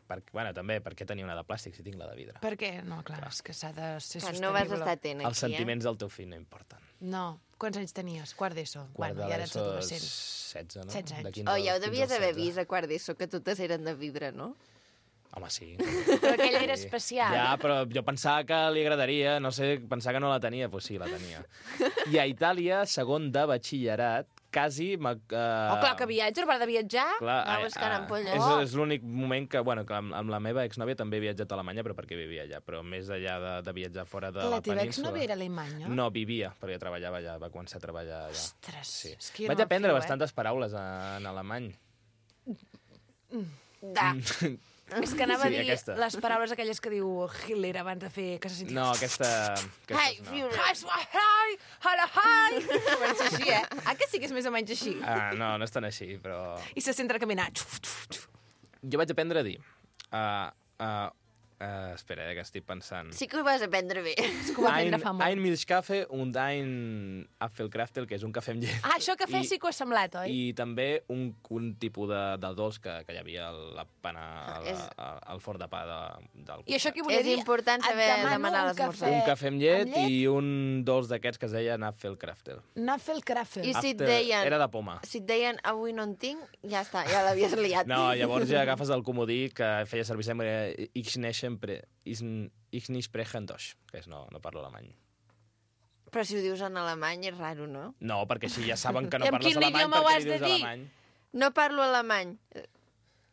Per, bueno, també, per què tenir una de plàstic si tinc la de vidre? Per què? No, clar, és que s'ha de ser Que sostenible. no vas estar atent aquí, Els sentiments del teu fill no importen. No. Quants anys tenies? Quart d'ESO? Quart Bueno, de ja eres l'ESO, adolescent. setze, no? setze anys. De eh? quinze Oh, ja ho fins devies als haver setze. vist a quart d'ESO, que totes eren de vidre, no? Home, sí. Però aquell era Sí. especial. Ja, però jo pensava que li agradaria, no sé, pensava que no la tenia, doncs sí, la tenia. I a Itàlia, segon de batxillerat, quasi... Uh, Oh, clar, que viatge, per de viatjar. Clar, Va eh, buscant eh, ampolles. És, Oh! és l'únic moment que, bueno, que amb, amb la meva exnòvia també he viatjat a Alemanya, però perquè vivia allà. Però més allà de, de viatjar fora de La la, teva península... exnòvia era alemanya? No, vivia, perquè treballava allà, va començar a treballar allà. Ostres, Sí. és que jo no Vaig me'n aprendre fio, eh? bastantes paraules en alemany. Da. És que anava Sí, a dir aquesta. les paraules aquelles que diu Hitler abans de fer... Que se sentia... No, aquesta... Hai, aquestes no. Führer. Hi, hi, hi. Comença així, eh? Ah, que sí que és més o menys així. Ah, no, no és tan així, però... I se centra a caminar. Xuf, xuf, xuf. Jo vaig aprendre a dir... Uh, uh, uh, espera, eh, que estic pensant... Sí que ho vas aprendre bé. És que ho va aprendre Ein, fa molt. ein Milchkaffee und ein Apfelkraftel, que és un cafè amb llet. Ah, això cafè I- sí que ho ha semblat, oi? I també un, un tipus de, de dolç que, que hi havia a la pana, al, És- al forn de pa de, del I això costat. què volia És dir? important Et saber demano demanar un l'esmorzar. cafè Un cafè amb llet, amb llet? i un dolç d'aquests que es deia Apfelkraftel. Nafelkrafel. I si et After- deien... Era de poma. Si et deien avui no en tinc, ja està, ja l'havies liat. No, llavors ja agafes el comodí que feia servir sempre Ich nicht sempre, ich, ich nicht sprechen Deutsch, que és no, no parlo alemany. Però si ho dius en alemany és raro, no? No, perquè així ja saben que no I en parles quin alemany idioma ho perquè has li de dius dir? alemany. No parlo alemany.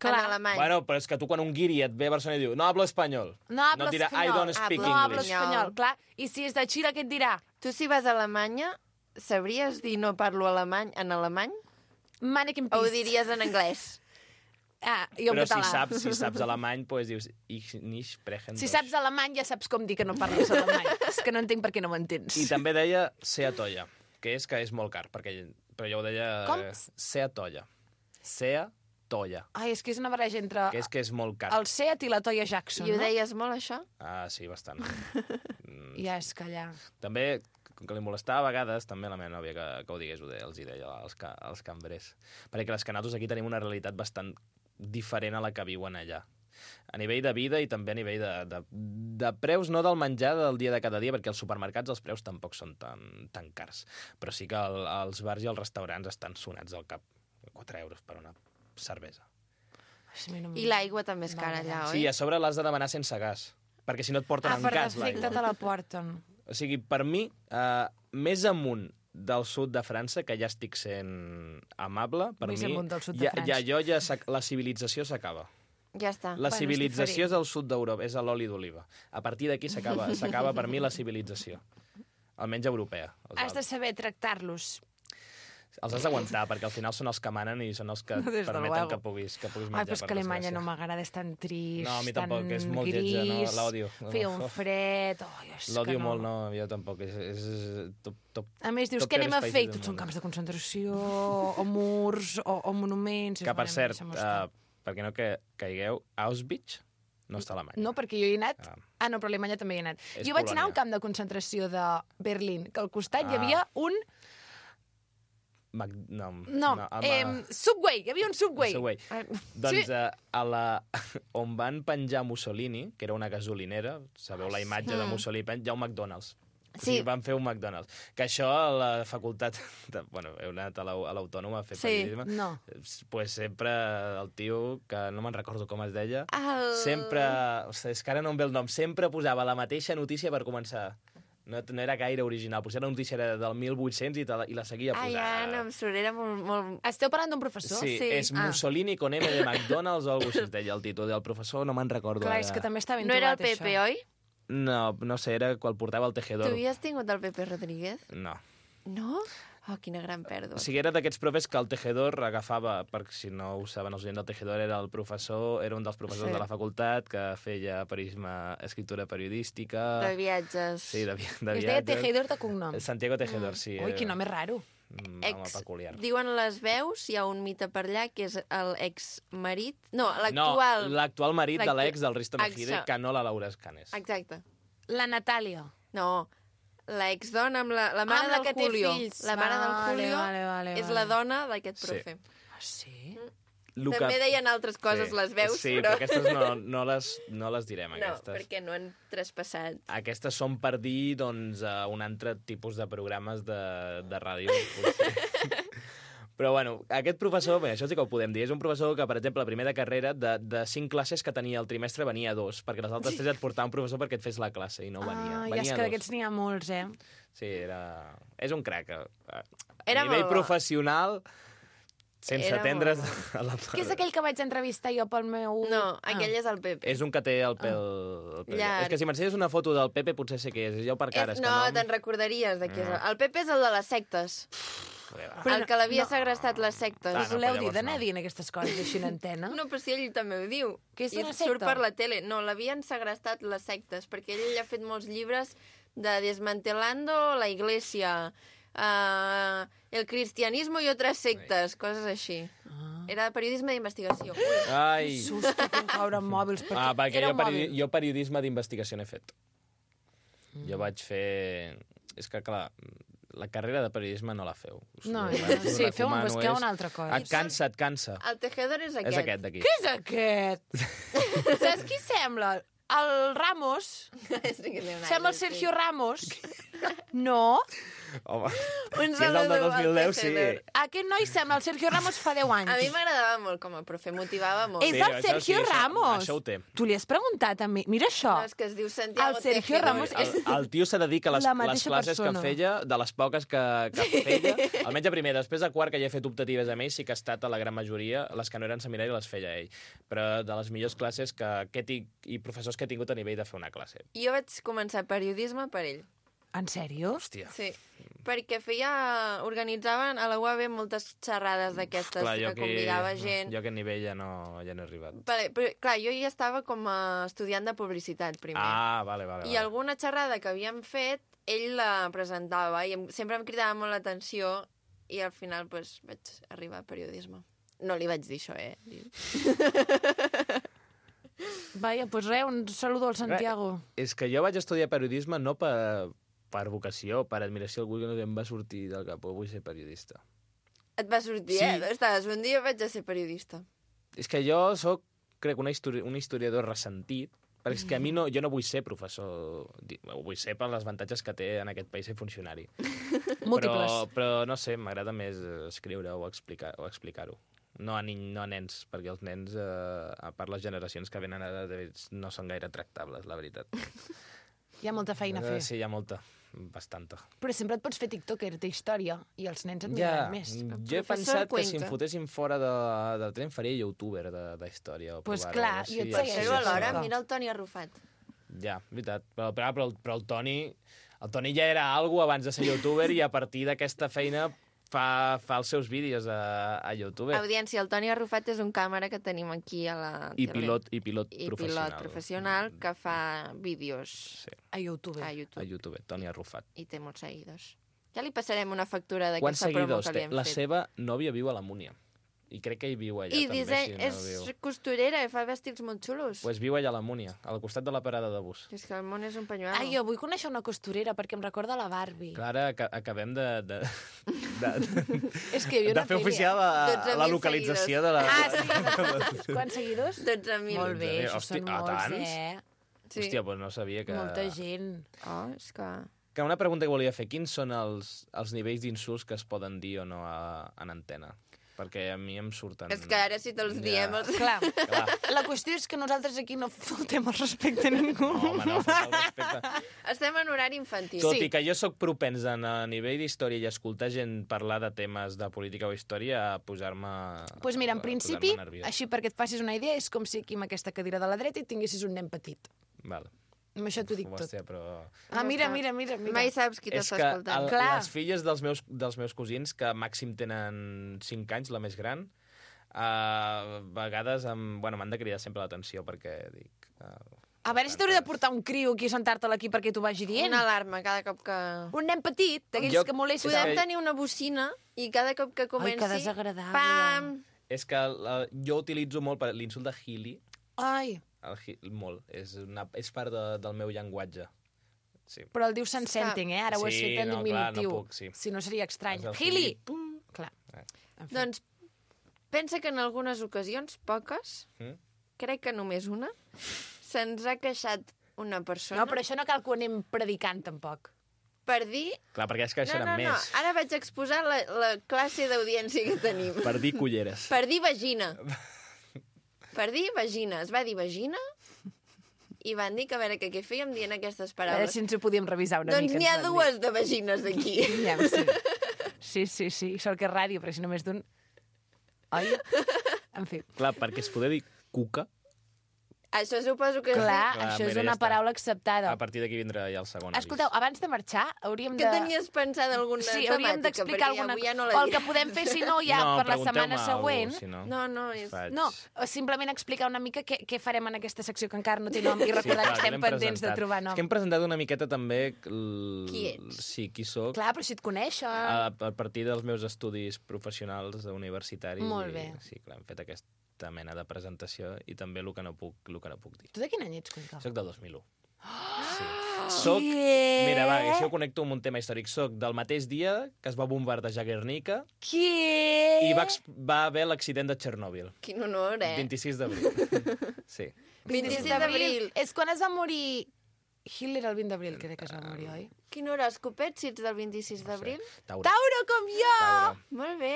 Clar. En alemany. Bueno, però és que tu quan un guiri et ve a Barcelona i diu no hablo espanyol. No hablo no et dirà I espanyol. don't speak Hablo- No hablo English. espanyol, clar. I si és de Xile, què et dirà? Tu si vas a Alemanya, sabries dir no parlo alemany en alemany? Mannequin O ho Peace. diries en anglès? Ah, i en Però si català. saps, si saps alemany, doncs dius ich nicht sprechen Si Deutsch. saps alemany, ja saps com dir que no parles alemany. És que no entenc per què no m'entens. I també deia Sea Tolla, que és que és molt car, perquè, però jo ho deia... Com? eh, Sea Tolla. Sea Tolla, Ai, és que és una barreja entre que és que és molt car. el Seat i la Toya Jackson, I ho no? deies molt, això? Ah, sí, bastant. Mm, Ja, és que allà... També, com que li molestava a vegades, també la meva nòvia que, que ho digués, ho deia, els hi deia als, ca, als cambrers. Perquè les canatos aquí tenim una realitat bastant diferent a la que viuen allà. A nivell de vida i també a nivell de, de, de preus, no del menjar del dia de cada dia, perquè als supermercats els preus tampoc són tan, tan cars. Però sí que el, els bars i els restaurants estan sonats al cap. quatre euros per una cervesa. Ai, a mi no em- I l'aigua també és cara allà, oi? Sí, a sobre l'has de demanar sense gas, perquè si no et porten Ah, en per gas defecte l'aigua. te la porten. O sigui, per mi, eh, més amunt del sud de França, que ja estic sent amable, per Més mi, amunt del sud de ja, França. ja, jo ja s'ac- la civilització s'acaba. Ja està. La Bueno, és civilització és diferent. al sud d'Europa, és a l'oli d'oliva. A partir d'aquí s'acaba s'acaba per mi la civilització. Almenys europea. Els, Has de saber tractar-los. els has d'aguantar, perquè al final són els que manen i són els que Des de permeten luego. que puguis, que puguis Ai, menjar, però és per que Alemanya desgràcia. no m'agrada, és tan trist, No, a mi tan tampoc, és molt gris, lletja, no, l'odio. feia un Oh. fred... Oh, és que L'odio no. molt, no, jo tampoc. És, és top, top, A més, dius, top què anem a peores fer? I països tots del són món. camps de concentració, o murs, o, o monuments... Que, Dius, per "Bueno, cert, deixa'm uh, estar". perquè no que caigueu, Auschwitz no està a Alemanya. No, perquè jo hi he anat... Ah. Ah, no, però a Alemanya també hi he anat. És Jo vaig anar a un Polònia. camp de concentració de Berlín, que al costat hi Ah. havia un... Mac... No, No, no amb, eh, Subway, hi havia un Subway. Subway. Ai, Doncs Sí. eh, a la... on van penjar Mussolini, que era una gasolinera, sabeu la imatge de Mussolini, pen- hi ha un McDonald's. O sigui, Sí. van fer un McDonald's. Que això a la facultat... De, bueno, heu anat a l'au- a l'Autònoma a fer Sí. periodisme. No. Pues sempre el tio, que no me'n recordo com es deia, El... sempre... O sigui, és que ara no em ve el nom. Sempre posava la mateixa notícia per començar. No, no era gaire original. Potser la notícia era del mil vuit-cents i, te la, i la seguia Ai, posant. ja, no em surt, era molt... molt... Esteu parlant d'un professor? Sí, Sí. és Ah. Mussolini con M de McDonald's o alguna cosa així es deia el títol del professor, no me'n recordo Clar, ara. és que també està ben No era el trobat, Pepe, això. oi? No, no sé, era quan portava el Tu tejedor. havies tingut el Pepe Rodríguez? No. No? Oh, quina gran pèrdua. O sigui, era d'aquests profes que el tejedor agafava, perquè si no ho saben els oients, el tejedor era el professor, era un dels professors Sí. de la facultat que feia periodisme, escriptura periodística... De viatges. Sí, de, vi- de Es deia viatges. Tejedor de cognom. Santiago Tejedor, sí. Ui, quin nom és raro. Mm, Ex, home peculiar. diuen les veus, hi ha un mite per allà, que és el ex-marit... No, No, l'actual... l'actual marit de l'actu- l'ex del Risto Mejide, Això. que no la Laura Escanes. Exacte. La Natàlia. No, la exdona amb la, la mare Amb la del que té Julio. fills. La mare del Vale, Julio vale, vale, és vale. la dona d'aquest Sí. profe. Ah, sí? Lo També deien altres coses, les veus, sí, però... però aquestes no, no, les, no les direm, No, aquestes. perquè no han traspassat. Aquestes són per dir, doncs, uh, un altre tipus de programes de, de ràdio. potser. Però, bueno, aquest professor, bé, això sí que ho podem dir, és un professor que, per exemple, a primer de carrera, de, de cinc classes que tenia el trimestre, venia a dos, perquè les altres tres et portava un professor perquè et fes la classe, i no venia. Ah, i venia és a que dos. d'aquests n'hi ha molts, eh? Sí, era... És un crac. A, a Era nivell molt bo. professional, sense Era atendre's molt a la... Que és aquell que vaig entrevistar jo pel meu... No, Ah. aquell és el Pepe. És un que té el pèl... El pèl. Llarg. És que si m'ensenyes una foto del Pepe potser sé què és. És jo per cares. És, que no, no... te'n recordaries de qui és. No. El Pepe és el de les sectes. Però el no- que l'havia no. segrestat les sectes. Ah, Us no, voleu però dir llavors d'anar no. dient aquestes coses així en antena? No, però si ell també ho diu. Que és I una surt secta? per la tele. No, l'havien segrestat les sectes, perquè ell ha fet molts llibres de Desmantelando la Iglesia, uh, el cristianismo i otras sectes, coses així. Ah. Era periodisme d'investigació. Ui, Ai... Susto que em caure amb mòbils. Perquè Ah, perquè era jo, un peri mòbil. jo periodisme d'investigació n'he fet. Mm. Jo vaig fer... És que, clar, la carrera de periodisme no la feu. Us No, ho- no, us ho sí, feu un recomano, busqueu és- una altra cosa. Et cansa, et cansa. el tejedor és aquest. És aquest d'aquí. Què és aquest? Saps qui sembla? El Ramos. Sí que té un Sembla aire, el Sergio Ramos. No? Home, Un si és el de saludo al dos mil deu, sí. tejedor. Aquest noi sembla el Sergio Ramos fa deu anys. A mi m'agradava molt com a profe, motivava molt. És Sí, el això Sergio sí, això- Ramos. això ho té. Tu li has preguntat a mi. Mira això. No, és que es diu Santiago El Sergio Tejedor. Ramos El, el tio s'ha de dir que les, La les mateixa classes persona. que feia, de les poques que, que feia, almenys a primer, després de quart, que ja he fet optatives amb ell, sí que ha estat a la gran majoria, les que no eren seminari les feia ell. Però de les millors classes que, que he tinc, i professors que he tingut a nivell de fer una classe. Jo vaig començar periodisme per ell. En sèrio? Hòstia. Sí, perquè feia... Organitzaven a la U A B moltes xerrades d'aquestes Clar, que jo que, convidava gent. Jo a aquest nivell ja no, ja no he arribat. Però, però, clar, jo ja estava com a estudiant de publicitat, primer. Ah, vale, vale. I vale. alguna xerrada que havíem fet, ell la presentava i em, sempre em cridava molt l'atenció i al final pues, vaig arribar a periodisme. No li vaig dir això, eh? Vaja, doncs res, un saludo al Santiago. És que jo vaig estudiar periodisme no per, per vocació, per admiració, algú que no em va sortir del cap, oh, vull ser periodista. Et va sortir, Sí. eh? Estaves, un dia vaig a ser periodista. És que jo sóc, crec, una histori un historiador ressentit, perquè és que a mi no, jo no vull ser professor, di- ho vull ser per les avantatges que té en aquest país ser funcionari. Múltiples. Però, però no sé, m'agrada més escriure o explicar o explicar-ho. No a, ni, no a nens, perquè els nens, eh, a part les generacions que venen ara, no són gaire tractables, la veritat. Hi ha molta feina a fer. Eh, Sí, hi ha molta, bastanta. Però sempre et pots fer tiktoker de història i els nens et Ja, miraran més. jo he professor pensat que si em Cuenca. fotessin fora de, del tren faria youtuber de, de història. o Pues provar-ho, clar, a veure jo et si- segueixo, Però alhora, sí. mira el Toni Arrufat. Ja, veritat. Però, però, però, el, però el Toni... El Toni ja era algo abans de ser youtuber i a partir d'aquesta feina fa, fa els seus vídeos a, a YouTube. Audiència, el Toni Arrufat és un càmera que tenim aquí a la I tele. pilot, i pilot I professional. pilot professional que fa vídeos Sí, A YouTube. a a YouTube YouTube, Toni Arrufat. i té molts seguidors. Ja li passarem una factura Quants d'aquesta promo seguidors que li té? hem La fet. seva nòvia viu a la Múnia. I crec que hi viu allà I també, disseny, si no és viu. costurera i fa vestits molt xulos. Pues viu allà a la Múnia, al costat de la parada de bus. És que el món és un penyuelo. Ai, jo vull conèixer una costurera perquè em recorda la Barbie. Clar, ara aca- acabem de, de, de, de, És que jo de no fer oficial la, dotze la mil localització de la... Ah, sí? Quants seguidors? dotze mil. Molt bé, això Hosti, són a molts, tants? eh? Sí. Hòstia, doncs no sabia que... Molta gent. Oh, és que... Que una pregunta que volia fer, quins són els, els nivells d'insults que es poden dir o no a, en antena? Perquè a mi em surten... És que ara si te'ls Ja. diem... Els... Clar, Clar. la qüestió és que nosaltres aquí no faltem el respecte a ningú. No, home, no, falta el respecte. Estem en horari infantil. Tot Sí. i que jo sóc propens en, a nivell d'història i escoltar gent parlar de temes de política o història a posar-me... Doncs pues mira, en a principi, posar-me nerviós. així perquè et facis una idea, és com si aquí amb aquesta cadira de la dreta i tinguessis un nen petit. Val. Amb això t'ho dic tot. Hòstia, però... Ah, mira, mira, mira. mira. Mai saps qui És t'està que escoltant. el, Clar. les filles dels meus, dels meus cosins, que màxim tenen cinc anys, la més gran, a vegades em, bueno, m'han de cridar sempre l'atenció perquè dic... Uh, A veure si t'hauria de portar un criu aquí a sentar-te'l aquí perquè t'ho vagi dient. Una alarma cada cop que... Un nen petit, d'aquells Jo- que molesten. Podem que- tenir una bocina i cada cop que comenci... que desagradable. Pam! És que la, jo utilitzo molt per l'insult de Healy, Ai, el, hi- molt, és, una, és part de, del meu llenguatge. Sí. Però el diu sensenting, eh? Ara ho has Sí, fet en no, clar, no diminutiu. puc, sí. Si no seria estrany. Has del Gili! Gili. Clar. Eh. En fi. Doncs pensa que en algunes ocasions, poques, Mm? crec que només una, se'ns ha queixat una persona No, però això no cal que ho anem predicant, tampoc. per dir... Clar, perquè es No, queixaran no, no, més. ara vaig exposar la, la classe d'audiència que tenim. Per dir culleres. Per dir vagina. Per dir vagina. Es va dir vagina i van dir que a veure què, què fèiem dient aquestes A veure paraules. si ens ho podíem revisar una Doncs mica. n'hi ha ens van dues de vagines aquí. dir. Ja, sí. sí, sí, sí. Sort que és ràdio, però si només d'un... Oi? En fi. Clar, perquè es poder dir cuca, Això suposo que... Clar, Clar, això és mira, una ja està. paraula acceptada. a partir d'aquí vindrà ja el segon Escolteu, avís. abans de marxar, hauríem Que de... tenies pensada alguna Sí, temàtica? hauríem d'explicar Perquè alguna avui ja no O la el que diré. podem fer, si no, ja no, per la pregunteu-me setmana alguna següent. cosa, si no. No, no, és... Faig. No, o simplement explicar una mica què, què farem en aquesta secció que encara no té nom i recordar clar, que estem l'hem pendents de presentat. trobar És nom. que hem presentat una miqueta també... L... Qui ets? Sí, qui sóc. Clar, però si et coneixen... A, a partir dels meus estudis professionals universitaris. Molt i, bé. Sí, clar, hem fet aquesta mena de presentació i també el que no puc, el que no puc dir. Tu de quin any ets, Cuenca? Soc del dos mil u. Sí. Soc... Què? Mira, va, això ho connecto amb un tema històric. Soc del mateix dia que es va bombardejar Guernica Què? i va, ex- va haver l'accident de Txernòbil. Quin honor, eh? vint-i-sis d'abril. Sí. vint-i-sis d'abril. És quan es va morir... Hitler el vint d'abril, crec que es va morir, oi? Quin horòscopet, si ets del vint-i-sis d'abril? Taure. Tauro, com jo! Taure. Molt bé.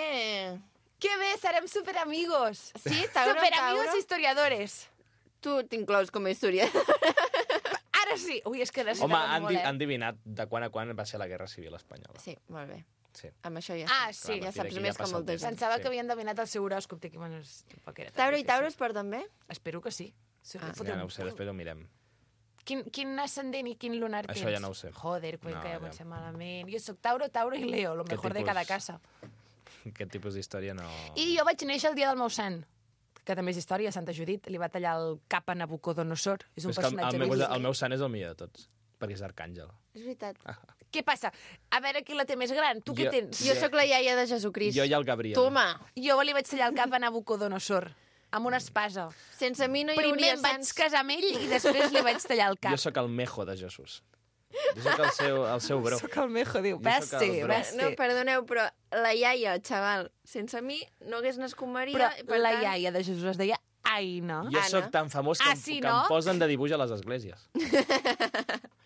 Que bé, serem superamigos. Sí, Tauro, Superamigos Tauro. historiadores. Tu t'inclous com a historiador. Ara sí. Ui, és que necessitava Home, han, molt, di eh? han divinat de quan a quan va ser la Guerra Civil espanyola. Sí, molt bé. Sí. Amb això ja Ah, saps. sí. Ja Clar, saps d'aquí més ja que passa el molta temps. gent. Pensava Sí. que havien endevinat el seu horòscop. Dic, bueno, és... tampoc era tan Tauro i difícil. Tauro es porten bé? Espero que sí. Sí, Ah. fotem- Ja no ho sé, després ho mirem. Quin, quin ascendent i quin lunar Això tens? ja no ho sé. Joder, Cuenca, No, ja ja. comencem malament. Jo sóc Tauro, Tauro i Leo, lo Què mejor de tipus? cada casa. Aquest tipus d'història no... I jo vaig néixer el dia del meu sant, que també és història, Santa Judit. Li va tallar el cap a Nabucodonosor. És un és que el, personatge el, meu, bíblic. el meu sant és el millor de tots, perquè és arcàngel. És veritat. Què passa? A veure qui la té més gran. Tu què Jo- tens? Jo sóc la iaia de Jesucrist. Jo i el Gabriel. Toma. Jo li vaig tallar el cap a Nabucodonosor, amb una espasa. Sense mi no hi Primer hauria em vaig sants. casar amb ell i després li vaig tallar el cap. Jo sóc el mejo de Jesús. Jo sóc el seu, el seu bro. Sóc el mejo, diu. Jo Ves sóc el sí, bro. ves sí. No, perdoneu, però la iaia, xaval, sense mi no hagués nascut Maria. Però i per la tant, iaia de Jesús es deia Aina. Jo Anna. sóc tan famós que, Ah, em- sí, que no? em posen de dibuix a les esglésies.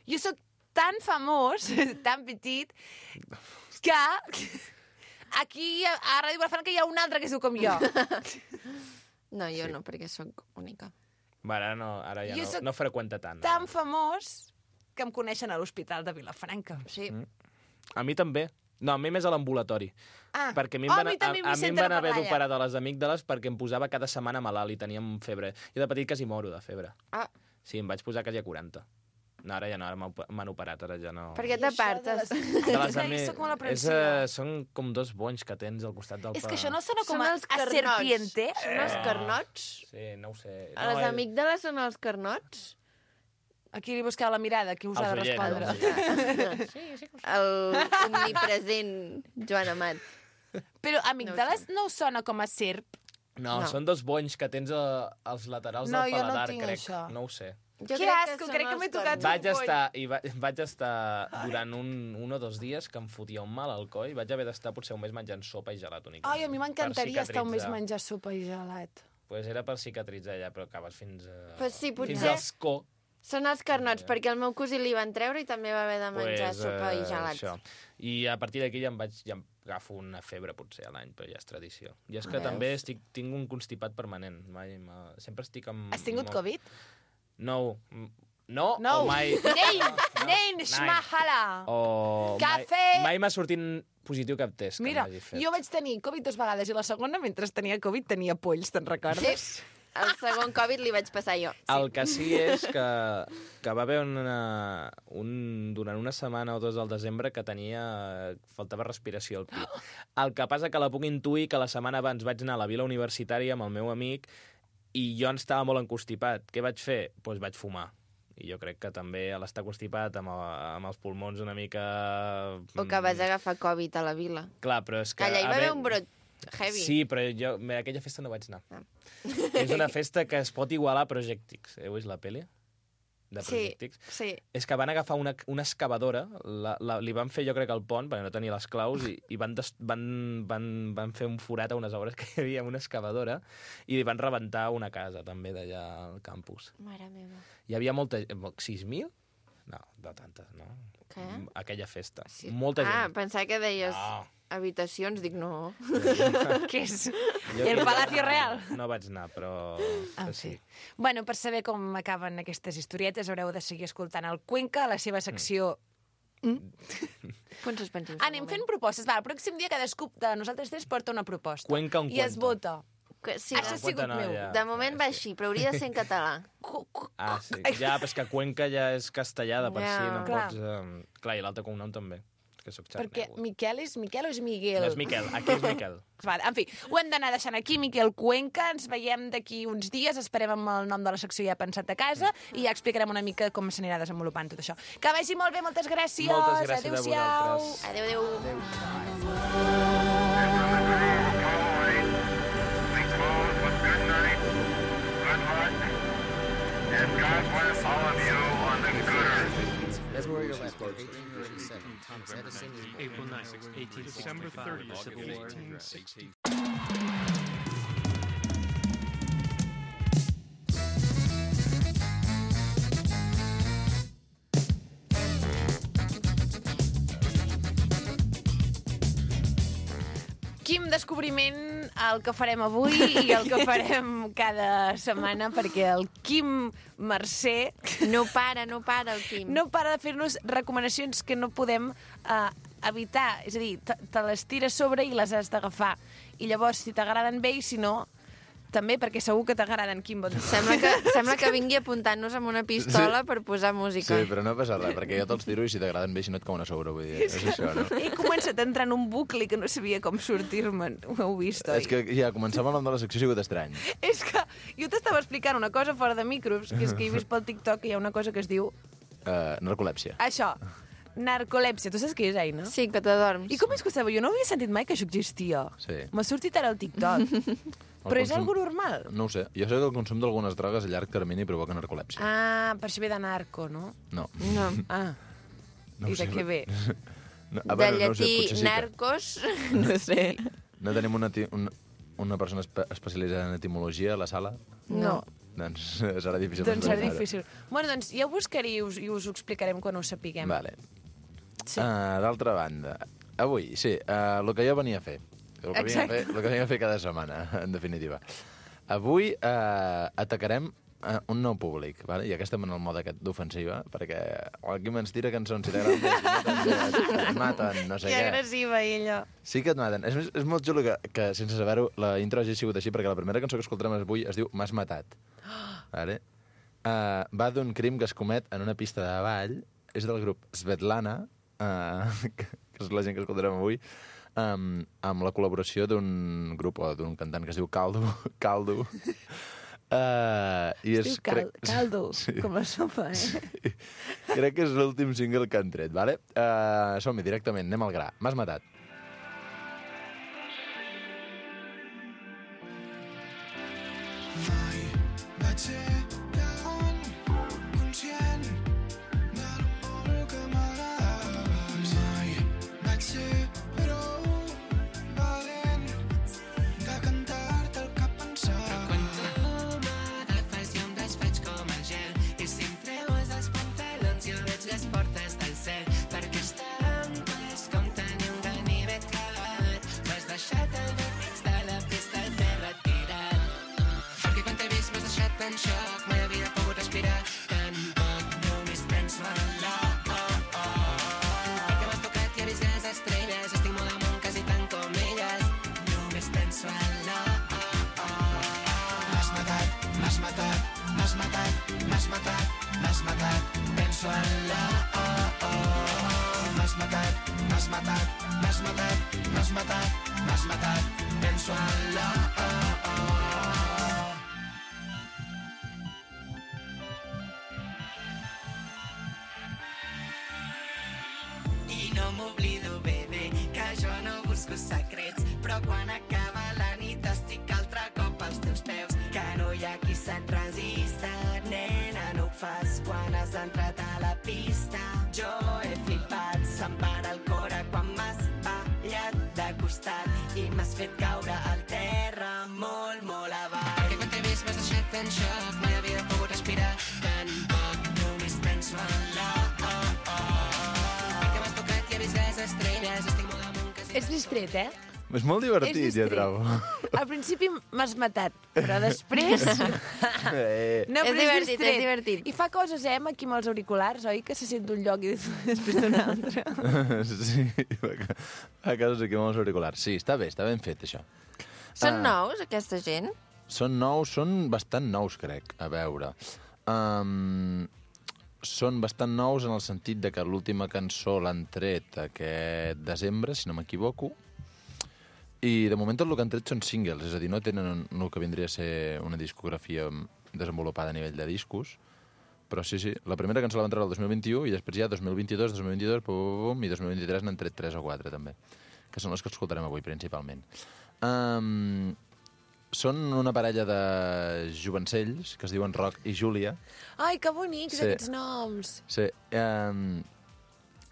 Jo sóc tan famós, tan petit, que aquí a, a Ràdio Vilafranca hi ha un altre que es diu com jo. No, jo no, perquè sóc única. Va, ara no, ara ja Jo no, sóc no freqüenta tant. Tan ara. famós que em coneixen a l'Hospital de Vilafranca. Sí. Mm. A mi també. No, a mi més a l'ambulatori. Ah, Perquè a mi em oh, van, a mi també a, m'hi a mi em senten van a haver parlar, d'operar de les amígdales perquè em posava cada setmana malalt i teníem febre. Jo de petit quasi moro de febre. Ah, Sí, em vaig posar quasi a quaranta. No, ara ja no, ara m'ha op- m'han operat, ara ja no... per què I això de t'apartes? les- De Ai, les és que ami- jo soc molt és, aprensiva. uh, són com dos bonys que tens al costat del... És pa- que això no sona com Són a, els a carnots. serpiente. Són els carnots? Sí, no ho sé. A no, les és- amígdales són els carnots? Aquí li buscava la mirada, qui us ha de Els oients, respondre. els oients. El omnipresent Joan Amat. Però amígdales no us sona com a serp? No, No. són dos bonys que tens a, als laterals No, del jo no paladar, tinc crec. això. No ho sé. Jo Que asco, són crec que els m'he tocat carnots. Vaig boll. estar, i va, vaig estar durant un, un o dos dies que em fotia un mal al coll. Vaig haver d'estar potser un mes menjant sopa i gelat únicament. Ai, a mi m'encantaria per estar un mes cicatritzar. menjar sopa i gelat. Pues era per cicatritzar ja, però acabes fins a... Pues sí, potser- Fins als co. Són els carnots, perquè el meu cosí li van treure i també va haver de menjar Pues, sopa i eh, gelat. això. I a partir d'aquí ja em vaig... Ja em agafo una febre potser a l'any, però ja és tradició. I és que Veus? també estic, tinc un constipat permanent. Mai, ma... Sempre estic amb... Has tingut molt- Covid? No. M- No, No. o mai... Nein, no, nein, nein. schmahala. O Cafè! Mai, mai m'ha sortit positiu cap test Mira, que m'hagi fet. jo vaig tenir Covid dues vegades i la segona, mentre tenia Covid, tenia polls, te'n recordes? El segon Covid li vaig passar jo. El que sí és que, que va haver una, un, durant una setmana o dos al desembre que tenia... faltava respiració al pit. El que passa que la puc intuir que la setmana abans vaig anar a la vila universitària amb el meu amic i jo estava molt encostipat. Què vaig fer? Doncs pues vaig fumar. I jo crec que també a l'estar constipat amb, amb els pulmons una mica... O que vas agafar Covid a la vila. Clar, però és que... Allà hi va a haver veure- un brot heavy. Sí, però jo a aquella festa no vaig anar. Ah. És una festa que es pot igualar a Project X. Heu vist la pel·li? de Sí, projectics, sí. és que van agafar una, una excavadora, la, la, li van fer jo crec el pont, perquè no tenia les claus, i, i van, des, van, van, van fer un forat a unes obres que hi havia amb una excavadora i van rebentar una casa també d'allà al campus. Mare meva. Hi havia molta... sis mil? No, de tantes, no. Què? Aquella festa. Sí. Molta Ah, gent. pensava que deies No. habitacions, dic no. Què és? Jo- El jo Palacio Real? No vaig anar, però... En sí. fi. Bueno, per saber com acaben aquestes historietes haureu de seguir escoltant el Cuenca, la seva secció... Punts suspensius. Anem fent propostes. Va, el pròxim dia cadascú de nosaltres tres porta una proposta. Cuenca un I es cuento. vota. Que, sí, Això ha no, sigut cuenta no, meu. ja. de moment va així, però hauria de ser en català. Cu- cu- Ah, sí. Ja, però és que Cuenca ja és castellada per Ja. si, no Clar. pots... Eh... Clar, i l'altre cognom també. És que soc Perquè xarnego. Miquel és Miquel o és Miguel? No és Miquel, aquí és Miquel. Vale, en fi, ho hem d'anar deixant aquí, Miquel Cuenca. Ens veiem d'aquí uns dies, esperem amb el nom de la secció ja pensat a casa i ja explicarem una mica com s'anirà desenvolupant tot això. Que vagi molt bé, moltes gràcies. Moltes gràcies a Adéu-siau. vosaltres. Adéu, adéu. Adéu. February eleventh, eighteen fifty-seven, Thomas Edison is born. April ninth, eighteen sixty-five. December thirtieth, Civil War. eighteen sixty. Quin descobriment el que farem avui i el que farem cada setmana, perquè el Quim Mercè No para, no para el Quim. no para de fer-nos recomanacions que no podem eh, evitar. És a dir, te, te les tires sobre i les has d'agafar. I llavors, si t'agraden bé i si no, també, perquè segur que t'agraden, Quim. Bon... Sembla que, sembla que vingui apuntant-nos amb una pistola per posar música. Sí, però no passa res, perquè jo te'ls tiro i si t'agraden bé, si no et cauen a sobre, vull dir, és això, no? He començat a entrar en un bucle que no sabia com sortir-me'n. Ho heu vist, oi? És que ja, començar amb el nom de la secció ha sigut estrany. És que jo t'estava explicant una cosa fora de micros, que és que he vist pel TikTok que hi ha una cosa que es diu... Uh, narcolèpsia. Això, narcolèpsia. Tu saps què és, Aina? Sí, que t'adorms. I com és que ho sabeu? Jo no havia sentit mai que això existia. Sí. M'ha sortit ara al TikTok. El Però és consum- algo normal. No ho sé. Jo sé que el consum d'algunes drogues a llarg termini provoca narcolèpsia. Ah, per això ve de narco, no? No. No. Ah, no i ho sé. de què ve? No, De a veure, no ho sé, llatí potser sí que... narcos, no sé. No tenim una, ti- una, una persona espe especialitzada en etimologia a la sala? No. Doncs serà difícil. Doncs serà d'explicar-ho. difícil. Bueno, doncs ja ho buscaré i us, i us ho explicarem quan ho sapiguem. Vale. Sí. Uh, D'altra banda, avui, sí, uh, el que jo venia a fer. El que, venia a fer, Exacte. el que venia a fer cada setmana, en definitiva. Avui uh, atacarem uh, un nou públic, vale? I aquesta en el mode aquest d'ofensiva, perquè el Quim ens tira cançons, si t'agraden bé, si no t'agraden bé, et maten, no sé Que què. agressiva, ella. Sí que et maten. És, és molt xulo que, que sense saber-ho, la intro hagi sigut així, perquè la primera cançó que escoltarem avui es diu M'has matat. Vale? Uh, va d'un crim que es comet en una pista de ball, és del grup Svetlana, uh, que, que és la gent que escoltarem avui, um, amb la col·laboració d'un grup o d'un cantant que es diu Caldo. Caldo. Uh, i Es diu cal, caldo, Sí. com la sopa, eh? Sí. Crec que és l'últim single que han tret, vale? Uh, som-hi directament, anem al gra. M'has matat. Mai vaig ser tan conscient de lo molt que m'agradaves. Mai vaig ser prou valent de cantar-te el que pensava. Quan tu m'agafes jo em desfaig com el gel i si em treues els pantalons jo veig les portes del cel perquè estar amb tu és com tenir un ganivet clavat. M'has deixat al mig de la pista i t'he retirat perquè quan t'he vist m'has deixat en xoc, mai havia pogut respirar tampoc, només penso en la oh, oh. Perquè m'has tocat i he vist les estrelles, estic molt amunt quasi tant com elles, només penso en la oh, oh. M'has matat, m'has matat, m'has matat, m'has matat, m'has matat, penso en la oh, oh. M'has matat, m'has matat, m'has matat, m'has matat, m'has matat, penso en la oh, oh. I no m'oblido, bebè, que jo no busco secrets, però quan acaba la nit estic altre cop als teus peus, que no hi ha qui se't resista, nena, no ho fas quan has pista. Jo he flipat, se'm para el cor quan m'has ballat de costat i m'has fet caure al terra molt, molt avall. Perquè quan t'he vist m'has deixat en xoc, mai havia pogut respirar tan poc, només penso en la oh, oh. Que m'has tocat i he vist les estrelles, estic molt amunt que... És distret, eh? És molt divertit, És ja distret. trobo. Al principi m'has matat, però després... Eh. No, És però divertit, distret. és divertit. I fa coses, eh, amb aquí amb els auriculars, oi? Que se sent d'un lloc i després d'un altre. Sí, fa fa casos aquí amb els auriculars. Sí, està bé, està ben fet, això. Són Ah. nous, aquesta gent? Són nous, són bastant nous, crec, a veure. Um, són bastant nous en el sentit de que l'última cançó l'han tret aquest desembre, si no m'equivoco, i de moment tot el que han tret són singles, és a dir, no tenen el que vindria a ser una discografia desenvolupada a nivell de discos, però sí, sí, la primera cançó la van treure el dos mil vint-i-u i després ja dos mil vint-i-dos, dos mil vint-i-dos, pum, pum, pum, i dos mil vint-i-tres n'han tret tres o quatre, també, que són les que escoltarem avui, principalment. Um, són una parella de jovencells que es diuen Roc i Júlia. Ai, que bonics, Sí. aquests noms. Sí. Um,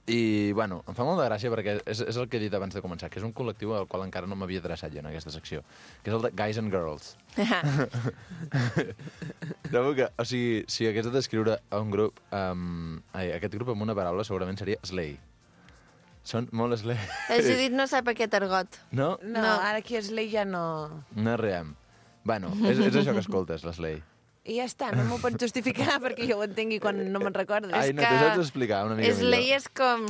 I, bueno, em fa molt de gràcia perquè és, és el que he dit abans de començar, que és un col·lectiu al qual encara no m'havia adreçat jo en aquesta secció, que és el de Guys and Girls. Trobo que, o sigui, si hagués de descriure a un grup, um, ai, aquest grup amb una paraula segurament seria slay. Són molt slay. La Judit no sap aquest argot. No? No, No. ara aquí es Slay ja no... No riem. Bueno, és, és això que escoltes, l'slay. I ja està, no m'ho pots justificar perquè jo ho entengui quan no me'n recordes. Ai, no, que- t'ho saps explicar una mica Slay millor. és com...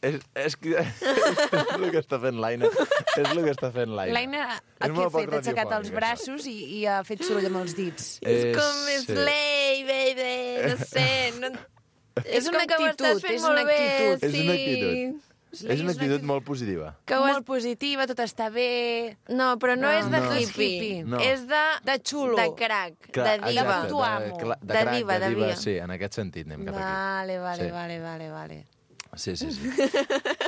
És, és, que, és el que està fent l'Aina. És el que està fent l'Aina. L'Aina ha És què molt ha poc fet? Ha aixecat els radiofònic, braços i, i ha fet soroll amb els dits. És És- com sí. Slay, baby, no sé, no... És, una una que ho estàs actitud, fent és una molt bé, actitud. És sí. una actitud. Slay És una actitud molt positiva. Que ho has... Molt positiva, tot està bé... No, però no, No, és de no. hippie. hippie. No. És de... De xulo. De crack, Clar, de diva. exacte, T'ho amo. De, cla- de, De crack, diva, de de diva, diva. sí, en aquest sentit anem cap aquí. Vale, vale, Sí. vale, vale, vale. Sí, sí, sí.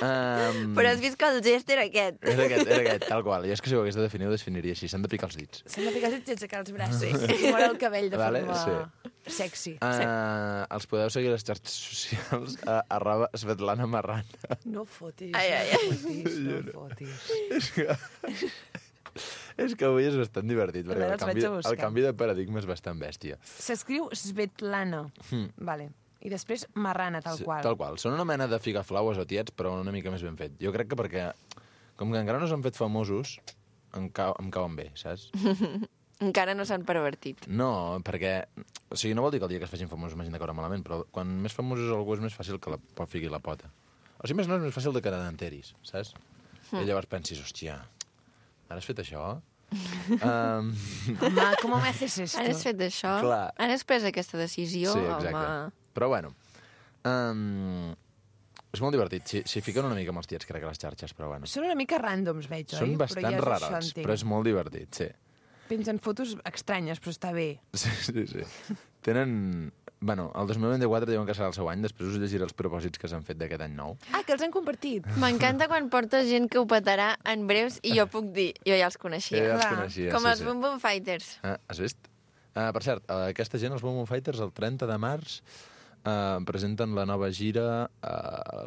um, Però has vist que el gest era aquest. Era aquest, era aquest, tal qual. Jo és que si ho hagués de definir, ho definiria així. S'han de picar els dits. S'han de picar els dits i aixecar els braços. I moure el cabell de Vale, forma sexy. Uh, els podeu seguir a les xarxes socials a arroba Svetlana Marrana. No fotis, Ai, ai, ai. no fotis, no fotis. És que... és que avui és bastant divertit, perquè veure, el els canvi, vaig a buscar. el canvi de paradigma és bastant bèstia. S'escriu Svetlana. Hmm. Vale. I després Marrana, tal Sí, qual. Tal qual. Són una mena de figaflaues o tiets, però una mica més ben fet. Jo crec que perquè, com que encara no s'han fet famosos, em, cau, em cauen bé, saps? Encara no s'han pervertit. No, perquè... O sigui, no vol dir que el dia que es facin famosos m'hagin de caure malament, però quan més famós és algú és més fàcil que la pot fiqui la pota. O sigui, més no és més fàcil de que t'enteris, saps? I llavors pensis, hòstia, ara has fet això? um, Home, com me haces esto? Ara has fet això? Clar. Ara has pres aquesta decisió? sí, exacte. Home. Però bueno, um, és molt divertit. Si, si fiquen una mica amb els tiets, crec, a les xarxes, però bueno. Són una mica ràndoms, veig, oi? Són Però bastant ja és rarats, això, entenc. però és molt divertit, sí. Pengen fotos estranyes, però està bé. Sí, sí, sí. Tenen... Bueno, el dos mil vint-i-quatre diuen que serà el seu any, després us llegiré els propòsits que s'han fet d'aquest any nou. Ah, que els han compartit. M'encanta quan porta gent que ho petarà en breus i jo puc dir, jo ja els coneixia. Ja els clar. coneixia, Com sí, els sí. Boom Boom Fighters. Ah, has vist? Uh, per cert, uh, aquesta gent, els Boom Boom Fighters, el trenta de març, uh, presenten la nova gira a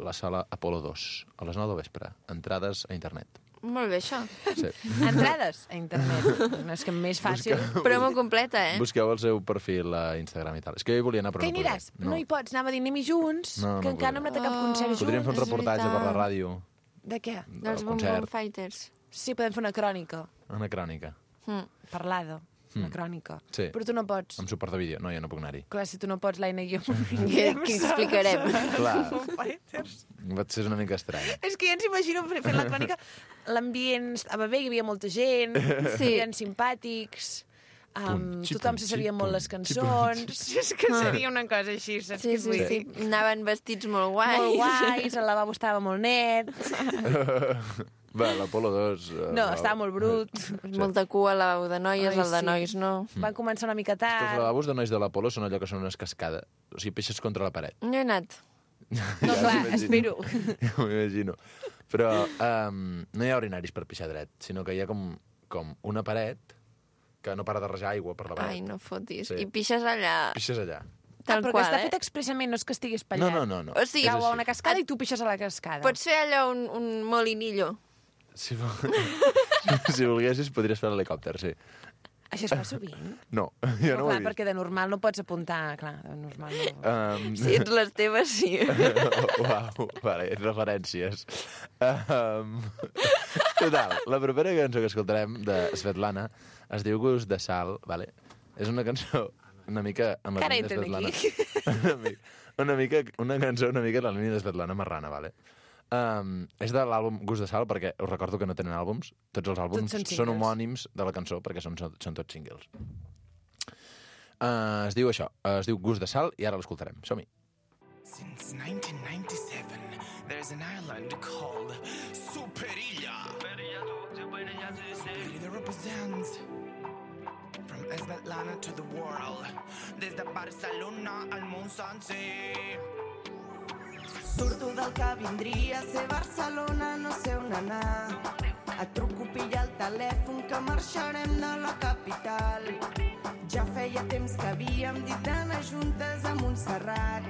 la sala Apolo dos, a les nou del vespre. Entrades a internet. Molt bé, això. Sí. Entrades a internet. No és que més fàcil. Promo completa, eh? Busqueu el seu perfil a Instagram i tal. És que jo hi volia anar, però Que hi no aniràs? podré. No. hi pots, anava a dir anem-hi junts, No, que no encara no hem anat a cap concert junts. Podríem fer un és reportatge per la veritat. ràdio, De què? Dels del Boom Boom concert, Fighters. Sí, podem fer una crònica. una crònica, Mm. Parlada. Una crònica. Sí. Però tu no pots. amb suport de vídeo. No, jo no puc anar-hi. Clar, si tu no pots, l'Aina i jo... Què, què explicarem? Clar, Fighters. va ser una mica estrany. És que ja ens imagino fent la crònica. L'ambient estava bé, hi havia molta gent, Sí. eren simpàtics, um, Pum, xipum, tothom se sabia molt les xipum, cançons. És que seria una cosa així, saps Sí, què et sí, vull sí. dir? Anaven vestits molt guais. Molt guais, el lavabo estava molt net. Va, l'Apolo dos... Uh, No, estava molt brut. Molta cua al lavabo de noies, Ai, el de sí. nois no. Van començar una mica Els tard. lavabos de nois de l'Apolo són allò que són unes cascades. O sigui, peixes contra la paret. No he anat. No, clar, m'imagino. espero. Ja m'ho imagino. Però um, no hi ha urinaris per pixar dret, sinó que hi ha com, com una paret que no para de rajar aigua per la paret. Ai, no fotis. Sí. I pixes allà. Pixes allà. tal ah, però qual, que està eh? fet expressament, no és que estigui No, espatllat. no, no. no. O sigui, És Cau a així. una cascada i tu pixes a la cascada. Pots fer allò un, un molinillo. Si, vol... si volguessis, podries fer l'helicòpter, sí. Això es fa sovint? No, jo no ho clar, he vist. perquè de normal no pots apuntar, clar, de normal no. Um... Si ets les teves, sí. Uau, vale, referències. Um... Total, la propera cançó que escoltarem de Svetlana es diu Gust de sal, vale? És una cançó una mica en la Cara línia de entren Svetlana. una, mica, una mica, una cançó una mica en la línia de Svetlana Marrana, vale? Um, és de l'àlbum Gust de sal, perquè us recordo que no tenen àlbums. Tots els àlbums Tots són són, singles. homònims de la cançó, perquè són, són tots singles. Uh, es diu això, uh, es diu Gust de sal, i ara l'escoltarem. Som-hi. Since nineteen ninety-seven, there's an island called Superilla. Superilla represents from Svetlana to the world, des de Barcelona al món sencer. Surto del que vindria a ser Barcelona, no sé on anar. Et truco, pilla el telèfon, que marxarem de la capital. Ja feia temps que havíem dit d'anar juntes a Montserrat,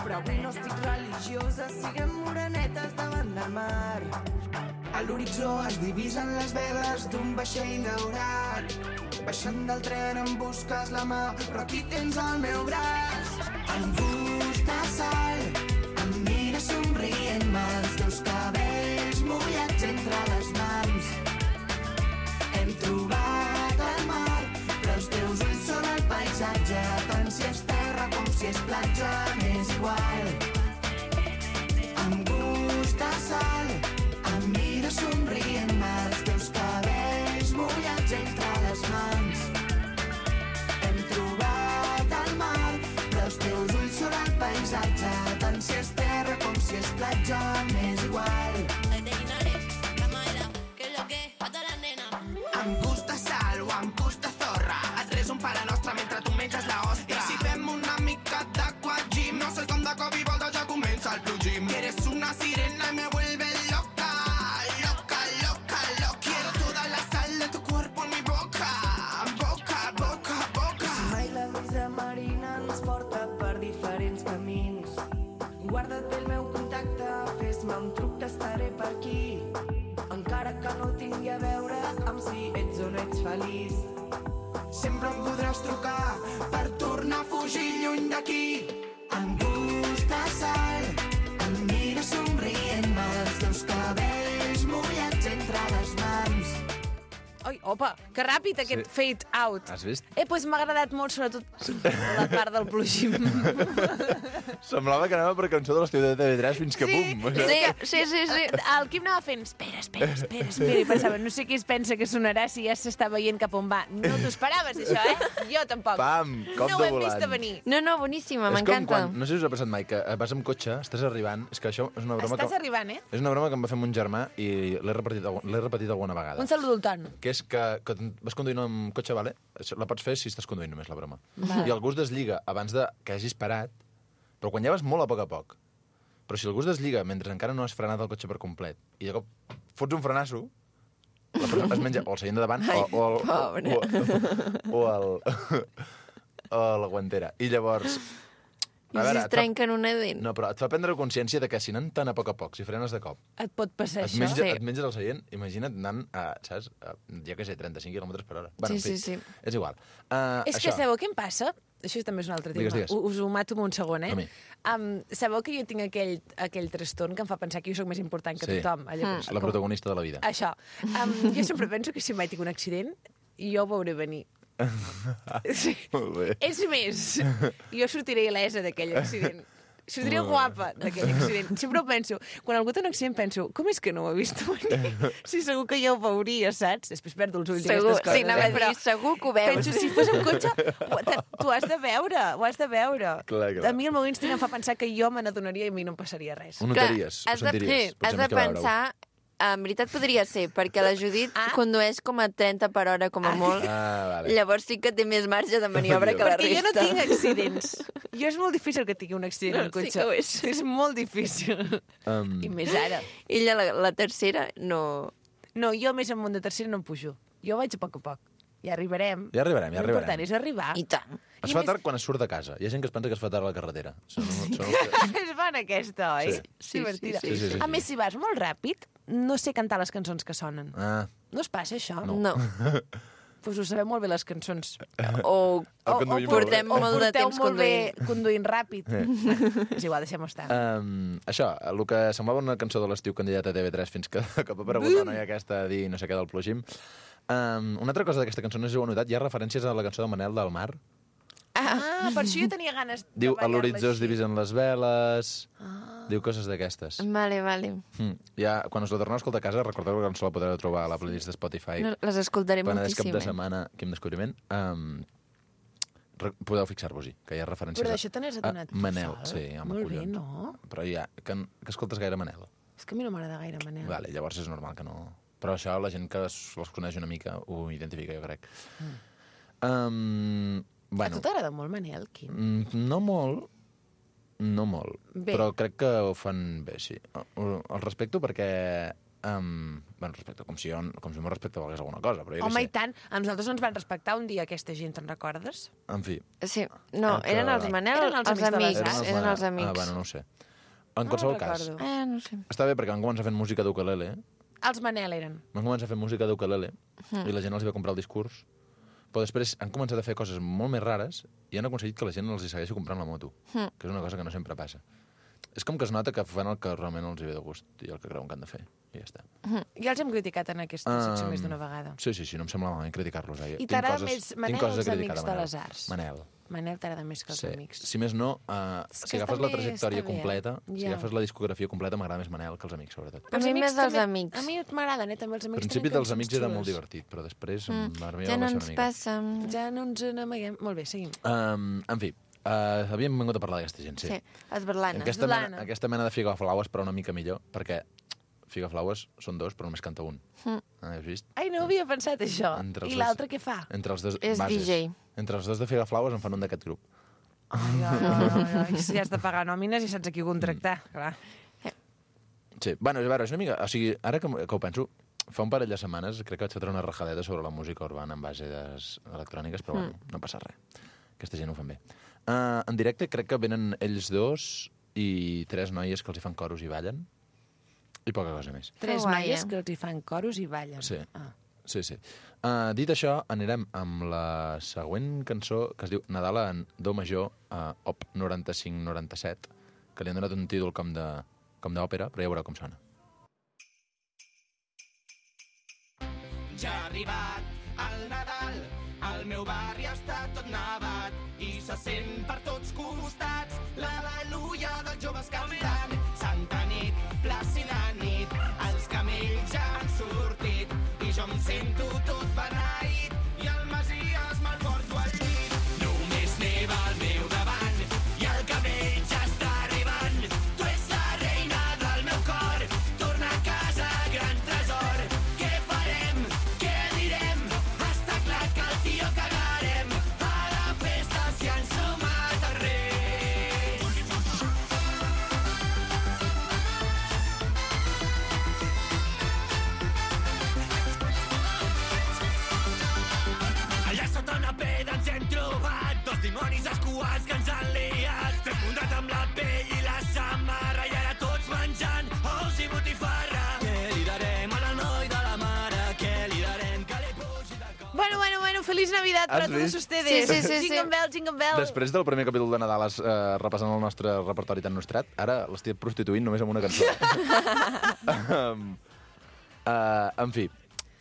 però avui no estic religiosa, siguem morenetes davant del mar. A l'horitzó es divisen les veles d'un vaixell daurat. Baixant del tren em busques la mà, però aquí tens el meu braç. Amb gust de sal, em mira somrient-me, els teus cabells mullats entre les mans. Hem trobat el mar, però els teus ulls són el paisatge, tant si és terra com si és platja, m'és igual. Amb gust de sal, em mira somrient-me, els teus cabells mullats entre les mans. Hem trobat el mar, però els teus ulls són el paisatge, tant si és terra com si és platja, m'és igual. Amb gust de sal o amb gust de zorra, et res un pare nostre mentre tu menges la ostra. I si fem una mica d'aquagym, no sé com de cop i volta ja comença el plugim. Eres una sirena y me vuelve loca, loca, loca, loca. Quiero toda la sal de tu cuerpo en mi boca, boca, boca, boca. Si mai la brisa marina ens porta per diferents camins, guarda't bé el meu contacte, fes-me un truc que estaré per aquí. Encara que no tingui a veure amb si ets o no ets feliç. Sempre em podràs trucar per tornar a fugir lluny d'aquí. Amb gust de sal, em mira somrient-me, els teus cabells mullats entre les mans. Ai, opa, que ràpid aquest Sí. fade out. Has vist? Eh, doncs m'ha agradat molt, sobretot la part del plugim. Semblava que anava per cançó de l'estiu de T V tres fins que pum. O sigui, Sí, sí, sí, sí. El Quim anava fent, espera, espera, espera, espera, i pensava, no sé qui es pensa que sonarà si ja s'està veient cap on va. No t'ho esperaves, això, eh? Jo tampoc. Pam, cop no ho de hem vist volant. a venir. No, no, boníssima, És com m'encanta. quan, no sé si us ha passat mai, que vas amb cotxe, estàs arribant, és que això és una broma Estàs que... arribant, eh? És una broma que em va fer mon germà i l'he repetit, algu- l'he repetit alguna vegada. Un saludo al Ton. Que és que, que vas conduint amb cotxe, vale? Això la pots fer si estàs conduint només, la broma. Va. I el gust deslliga abans de que hagis parat, però quan ja vas molt a poc a poc. Però si el gust deslliga mentre encara no has frenat el cotxe per complet i de cop fots un frenasso, la persona es menja o el seient de davant Ai, o, o, el, pobre. o, o, el, o la guantera. I llavors... I si es trenquen una dent? No, però et fa prendre consciència de que si anant tan a poc a poc, si frenes de cop, Et pot passar et, això? menja, et menges el seient, imagina't anant a, saps, a, jo què sé, trenta-cinc quilòmetres per hora. Bueno, Sí, en fi, sí, sí. És igual. Uh, És que sabeu què em passa? Això també és un altre tema. Digues, digues. U- Us ho mato en un segon, eh? A mi. Um, sabeu que jo tinc aquell, aquell trastorn que em fa pensar que jo sóc més important que Sí. tothom? Allò, És la protagonista de la vida. Això. Um, jo sempre penso que si mai tinc un accident, jo ho veuré venir. Sí. Molt bé. És més, jo sortiré il·lesa d'aquell accident. Sortiré Molt bé. guapa d'aquell accident. Sempre ho penso. Quan algú té un accident penso, com és que no ho he vist venir? Sí, segur que jo ho veuria, saps? Després perdo els ulls i Segur, aquestes coses. sí, anava a eh? dir, Però segur que ho veus. penso, si fos un cotxe, ho- te- t'ho has de veure, ho has de veure. Clar, clar. A mi el meu instinct em fa pensar que jo me n'adonaria i a mi no em passaria res. Ho notaries, ho has de, sentiries. sí, Potser has de més que veure-ho. pensar... En veritat podria ser, perquè la Judit Ah. condueix com a trenta per hora, com a molt. Ah, vale. Llavors sí que té més marge de maniobra que la Perquè jo no resta. tinc accidents. Jo és molt difícil que tingui un accident en Sí cotxe. que ho és. És molt difícil. Um, I més ara. Ella, la, la tercera, no... No, jo més amunt de tercera no em pujo. Jo vaig a poc a poc. Ja arribarem. Ja arribarem, ja arribarem. L'important és arribar. I tant. Es I fa més- tard quan es surt de casa. Hi ha gent que es pensa que es fa tard a la carretera. Són, són... És bona aquesta, oi? Sí. Sí, divertida. sí, sí, sí, A sí. més, si vas molt ràpid, no sé cantar les cançons que sonen. Ah, No es passa, això? No. no. Pues ho sabem molt bé, les cançons. O, El o, conduïm o portem molt molt de porteu temps molt bé conduint. conduint ràpid. És igual, deixem-ho estar. Um, això, el que semblava una cançó de l'estiu candidat a T V tres fins que, que va aparegut la noia aquesta a dir no sé què del plogim. Um, una altra cosa d'aquesta cançó, no sé si ho heu notat, hi ha referències a la cançó de Manel del Mar. Ah, per això jo tenia ganes de Diu, a ballar-la l'horitzó es així. divisen les veles... Ah. Diu coses d'aquestes. Vale, vale. Mm. Ja, quan us la torneu a escoltar a casa, recordeu que ens la podreu trobar a la playlist de Spotify. No, les escoltaré Penedès cap moltíssim. de eh? setmana, quin descobriment. Um, re, podeu fixar-vos-hi, que hi ha referències Però d'això te n'has adonat tu Manel, sol? sí, home, Molt bé, collons. no? Però ja, que, que escoltes gaire Manel. És que a mi no m'agrada gaire, Manel. Vale, llavors és normal que no... Però això la gent que es- els coneix una mica ho identifica, jo crec. Mm. Um, A bueno, tu t'agrada molt, Manel, Quim? mm, no molt, no molt, Bé. però crec que ho fan bé, sí. El, el respecto perquè... Um, bueno, respecto, com si, jo, com si el meu respecte volgués alguna cosa, però jo Home, què i tant. A nosaltres no ens van respectar un dia aquesta gent, te'n recordes? sé. En fi. Sí, no, El que- eren els Manel, Eren els els, amics de les amics. arts. Eren els Ah, amics. bueno, no ho sé. En qualsevol no cas, recordo. Eh, no sé. està bé perquè van començar fent música d'ukelele, Els Manel eren. van començar fent música d'ukelele Mm. i la gent els va comprar el discurs, però després han començat a fer coses molt més rares i han aconseguit que la gent els hi segueixi comprant la moto, Mm. que és una cosa que no sempre passa. És com que es nota que fan el que realment els hi ve de gust i el que creuen que han de fer, i ja està. Ja els hem criticat en aquesta secció Um, més d'una vegada. Sí, sí, sí, no em sembla malament criticar-los. Eh? I Tinc t'agrada coses- més tinc Manel coses o els a criticar Amics de de Manel. les Arts? Manel. Manel t'agrada més que els Sí. amics. Si més no, uh, És si que agafes està la bé, trajectòria està bé, eh? completa, si Ja. agafes la discografia completa, m'agrada més Manel que els amics, sobretot. A mi més dels també- amics. A mi m'agraden, eh, també els Al amics. principi tenen dels amics cançons era molt xules. divertit, però després Mm. mm. Ja no va baixar una ens mica. passa. Ja no ens n'amaguem. Molt bé, seguim. Um, en fi, uh, havíem vingut a parlar d'aquesta gent, sí. Sí, esberlana. Aquesta, mena, Esberlana. aquesta mena de figaflaues, però una mica millor, perquè figaflaues són dos, però només canta un. Mm. Ah, has vist? Ai, no havia pensat això. Entre els I dos- l'altre què fa? Entre els dos És bases. D J. Entre els dos de figaflaues en fan un d'aquest grup. Ai, ai, ai, ai. Si has de pagar nòmines i saps a qui contractar, Mm. clar. Sí, bueno, a veure, és una mica... O sigui, ara que, que ho penso, fa un parell de setmanes crec que vaig fotre una rajadeta sobre la música urbana en base des electròniques, però bueno, no passa res. Aquesta gent ho fan bé. Uh, en directe crec que venen ells dos i tres noies que els hi fan coros i ballen, i poca cosa més. Tres guai, noies eh? que els hi fan coros i ballen. Sí. Ah. Sí, sí. Uh, dit això, anirem amb la següent cançó, que es diu Nadal en Do major, uh, op noranta-cinc noranta-set, que li han donat un títol com de com d'òpera, però ja veureu com sona. Ja ha arribat el Nadal, el meu barri està tot nevat i se sent per tots costats l'al·leluia dels joves cantant. Santa nit, plàcida nit, els camells ja han sortit i jo em sento tot beneït i el Masies me'l porto al llit. Només neva al meu davant i el camell ja està arribant. Tu ets la reina del meu cor, torna a casa, gran tresor. Què farem? Què direm? Està clar que el tio cagarem. A la festa s'hi han sumat els reis. Allà sota una peda ens hem trobat dos dimonis escuats que ens han liat. Fem muntat amb la pell i la samarra i ara tots menjant ous i botifarra. Què li darem a la noi de la mare? Què li darem que li pugi de cor? Bueno, bueno, bueno, feliz Navidad Has para todos vist? ustedes. Sí, sí, sí, sí. Jingle bell, jingle bell. Després del primer capítol de Nadal eh, repassant el nostre repertori tan nostrat, ara l'estic prostituint només amb una cançó. um, uh, en fi.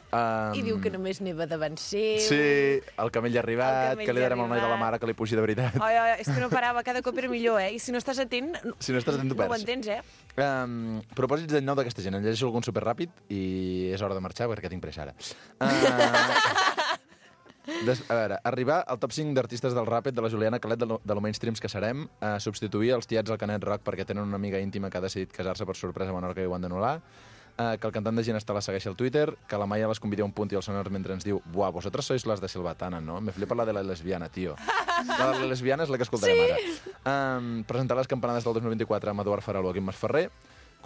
Um, I diu que només neva davant seu. Sí, el camell ha arribat, El camell que li ja ha darem al noi de la arribat. mare que li pugi de veritat. Ai, ai, és que no parava, cada cop era millor, eh? I si no estàs atent, no, Si no estàs atent, tu no ho perds. entens, eh? Um, propòsits d'any nou d'aquesta gent. En llegeixo algun superràpid i és hora de marxar perquè tinc pressa ara. Uh, des, a veure, arribar al top cinc d'artistes del ràpid de la Juliana Calet de lo, de lo mainstreams que serem, uh, substituir els tiets al Canet Rock perquè tenen una amiga íntima que ha decidit casar-se per sorpresa a Menorca i ho han d'anul·lar, uh, que el cantant de Ginesta la segueixi al Twitter, que la Maia les convida a un punt i el sonar mentre ens diu «Buah, vosotras sois las de Silvatana, ¿no? Me flipa la de la lesbiana, tío». La de la lesbiana és la que escoltarem sí. ara. Um, presentar les campanades del dos mil vint-i-quatre amb Eduard Faraló, Quim Masferrer,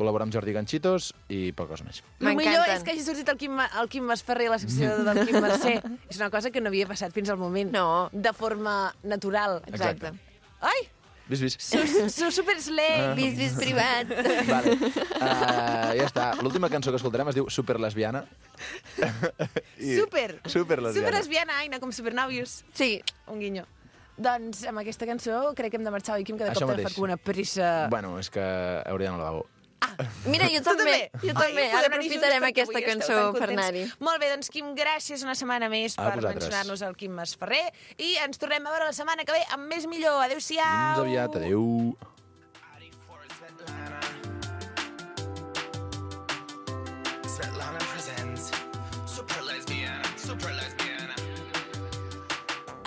col·laborar amb Jordi Ganchitos i poca cosa més. El millor M'encanten. és que hagi sortit el Quim, Ma- el Quim Masferrer a la secció del Quim Mercè. És una cosa que no havia passat fins al moment. No. De forma natural. Exacte. Ai! Vis, vis. Sou, sou super slay! Vis, vis privat. Vale. Uh, ja està. L'última cançó que escoltarem es diu Super Lesbiana. I... Super! Super Lesbiana. Super lesbiana, Aina, com supernòvios. Sí. Un guinyo. Doncs amb aquesta cançó crec que hem de marxar, oi, Quim? Que de Això cop mateix. t'agafat com una pressa... Bueno, és que hauria d'anar al lavabo. Mira, jo també. Jo també. Ai, Ara podem anar aprofitarem junts perquè aquesta avui esteu cançó tan per contents. anar-hi. Molt bé, doncs, Quim, gràcies una setmana més A per vosaltres. mencionar-nos el Quim Masferrer i ens tornem a veure la setmana que ve amb més millor. Adéu-siau! Fins aviat, adéu. Svetlana presents Super lesbiana, super lesbiana.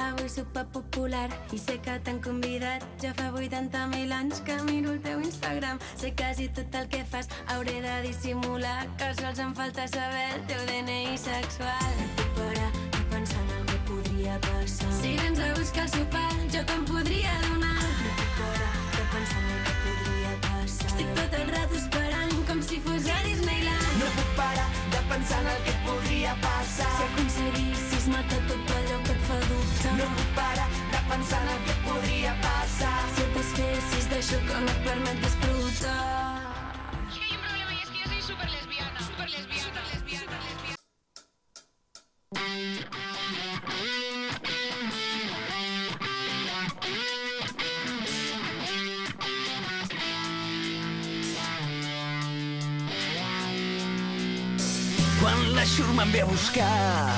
Avui sopa popular i sé que t'han convidat. Ja fa vuitanta mil anys que miro el teu Instagram. Sé quasi tot el que fas, hauré de dissimular que sols em falta saber el teu D N I sexual. No puc parar de pensar en el que podria passar. Si vens a buscar el sopar, jo te'n podria donar. No puc parar de pensar en el que podria passar. Estic tot el rato esperant com si fos a Disneyland. No puc parar de pensar en el que podria passar. Si aconseguissis matar tot allò que et fa dubtar. No puc parar de pensar en el que podria passar. Si et desfessis d'això que no et permet disfrutar. Es que hay un problema y es que yo soy súper lesbiana. Súper lesbiana. Súper lesbiana. lesbiana. Quan la xurma em ve a buscar,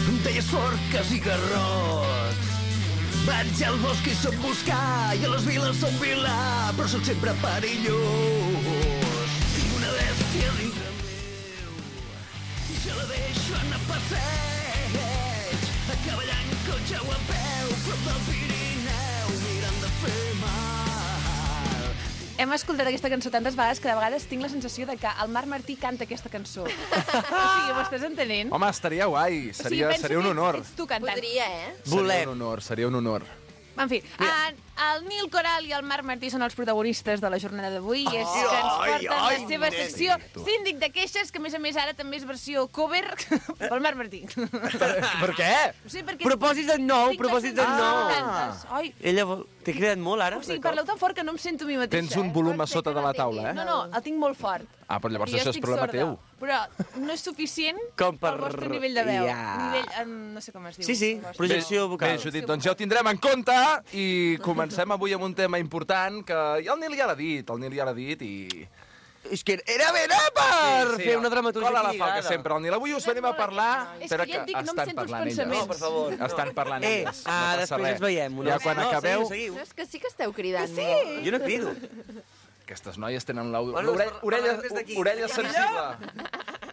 em talles forques i garrots. Vaig al bosc i soc buscar, i a les viles soc vilà, però sóc sempre perillós. Tinc una bèstia dintre meu, i jo la deixo anar a passeig, a cavall en cotxe o a peu, prop del Pirineu, mirant de fer mal. Hem escoltat aquesta cançó tantes vegades que de vegades tinc la sensació de que el Marc Martí canta aquesta cançó. O sigui, m'ho estàs entenent? Home, estaria guai. Seria, penso seria un que ets- honor. Ets tu cantant. Podria, eh? Seria un honor, seria un honor. En fi, en, el Nil Coral i el Marc Martí són els protagonistes de la jornada d'avui i és que ens porten ai, la seva nene. secció Síndic de Queixes, que a més a més ara també és versió cover pel Marc Martí. Per, per què? No sé, perquè... Propòsit de nou, Tinc propòsit les de sensacions nou. tantes. Ai, Ella vol- t'he cridat molt, ara? o sigui, parleu tan fort que no em sento a mi mateixa. Tens un eh? volum a sota de la taula, eh? No, no, el tinc molt fort. Ah, però llavors I jo això és estic problema sorda. teu. Però no és suficient Com per- pel vostre nivell de veu. Ja. Nivell, en, no sé com es diu. Sí, sí, el vostre. projecció vocal. Bé, Judit, doncs ja ho tindrem en compte i comencem avui amb un tema important que ja el Nil ja l'ha dit, el Nil ja l'ha dit i... És que era ben per fer una dramaturgia Cola la equilibrada. falca sempre, el Nil. Avui us venim a parlar... És que ja et dic, no em estan sento els parlant elles. pensaments. No, per favor. Estan parlant Eh, elles. ah, no passa després res. ens veiem. Ja quan no, acabeu... Seguiu, No, seguiu. és que sí que esteu cridant. Sí. Jo no crido. Aquestes noies tenen l'orella Bueno, orella, parlarem des d'aquí. orella sensible.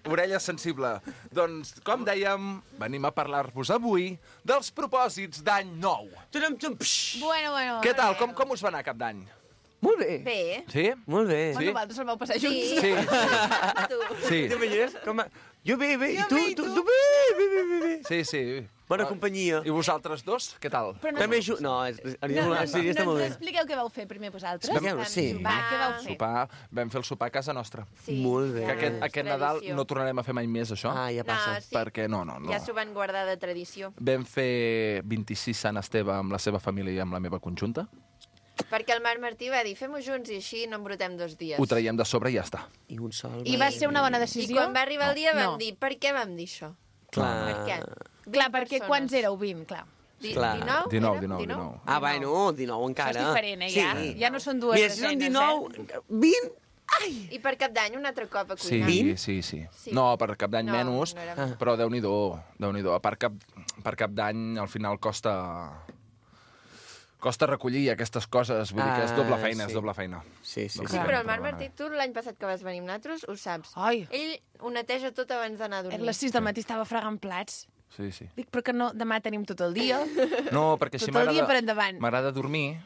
Orella sensible. Doncs, com dèiem, venim a parlar-vos avui dels propòsits d'any nou. Tudum, tum, psh. Bueno, bueno. Què tal? Com, com us va anar cap d'any? Molt bé. Bé. Sí? Molt bé. Bueno, vosaltres el vau passar junts. Sí. Sí. Tu. Sí. T'imagines? Com a... Jo bé, bé. I Jo tu, bé, i tu, tu? tu bé, bé, bé, bé, bé. Sí, sí. Bona Ah, companyia. I vosaltres dos, què tal? Però no, També ju... No, és, és, no, no, no, sí, està no molt ens bé. expliqueu què vau fer primer vosaltres. Expliqueu-ho, sí. Va, què vau fer? Sopar, vam fer el sopar a casa nostra. Sí. Molt bé. Que aquest, és aquest Nadal tradició. no tornarem a fer mai més, això. Ah, ja passa. No, sí. Perquè no, no, no. Ja s'ho van guardar de tradició. Vam fer vint-i-sis Sant Esteve amb la seva família i amb la meva conjunta. Perquè el Marc Martí va dir, fem-ho junts i així no embrutem dos dies. Ho traiem de sobre i ja està. I un sol. I va ser una bona I decisió? quan va arribar el dia vam No. dir, per què vam dir això? Clar. Per què? Clar, perquè persones. quants éreu? vint, clar. Di- Clar. dinou? dinou, Era? dinou, dinou. Ah, bueno, dinou encara. Això és diferent, eh, ja? Ja no són dues Mira, si són desenes, dinou, vint... Ai! I per cap d'any un altre cop a Sí, cuinar. sí, sí, Sí. No, per cap d'any No, menys, no era- Ah. però Déu-n'hi-do, Déu-n'hi-do. Per cap, per cap d'any, al final, costa... Costa recollir aquestes coses, vull dir que és doble Ah, feina, sí. és doble feina. Sí, sí, Doble Sí, sí. feina, però el Marc bueno. Martí, tu l'any passat que vas venir amb nosaltres, ho saps. Ai. Ell ho neteja tot abans d'anar a dormir. A les sis del matí estava fregant plats. Sí, sí. Dic, però que no, demà tenim tot el dia. No, perquè així Tot el dia per m'agrada endavant. m'agrada dormir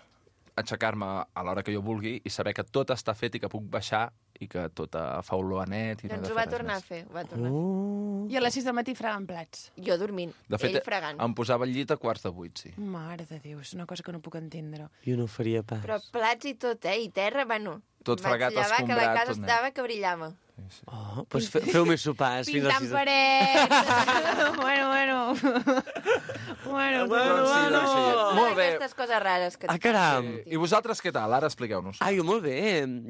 aixecar-me a l'hora que jo vulgui i saber que tot està fet i que puc baixar i que tot fa olor a net i no he Doncs de ho fer va res tornar a més. fer, ho va tornar a Uh. fer. I a les sis del matí fregant plats. Jo dormint, De fet, ell fregant. em posava al llit a quarts de vuit, sí. Mare de Déu, és una cosa que no puc entendre. Jo no ho faria pas. Però plats i tot, eh? I terra, bueno... Tot fregat, vaig llevar que la escombrat, casa tot net. estava que brillava. Oh, doncs fe, feu més sopars fins a les Pintant sis. parets! bueno, bueno. bueno, Bueno, sí, doncs sí. Molt bé. Aquestes coses rares que... Ah, caram! I vosaltres què tal? Ara expliqueu-nos. Ah, jo molt bé.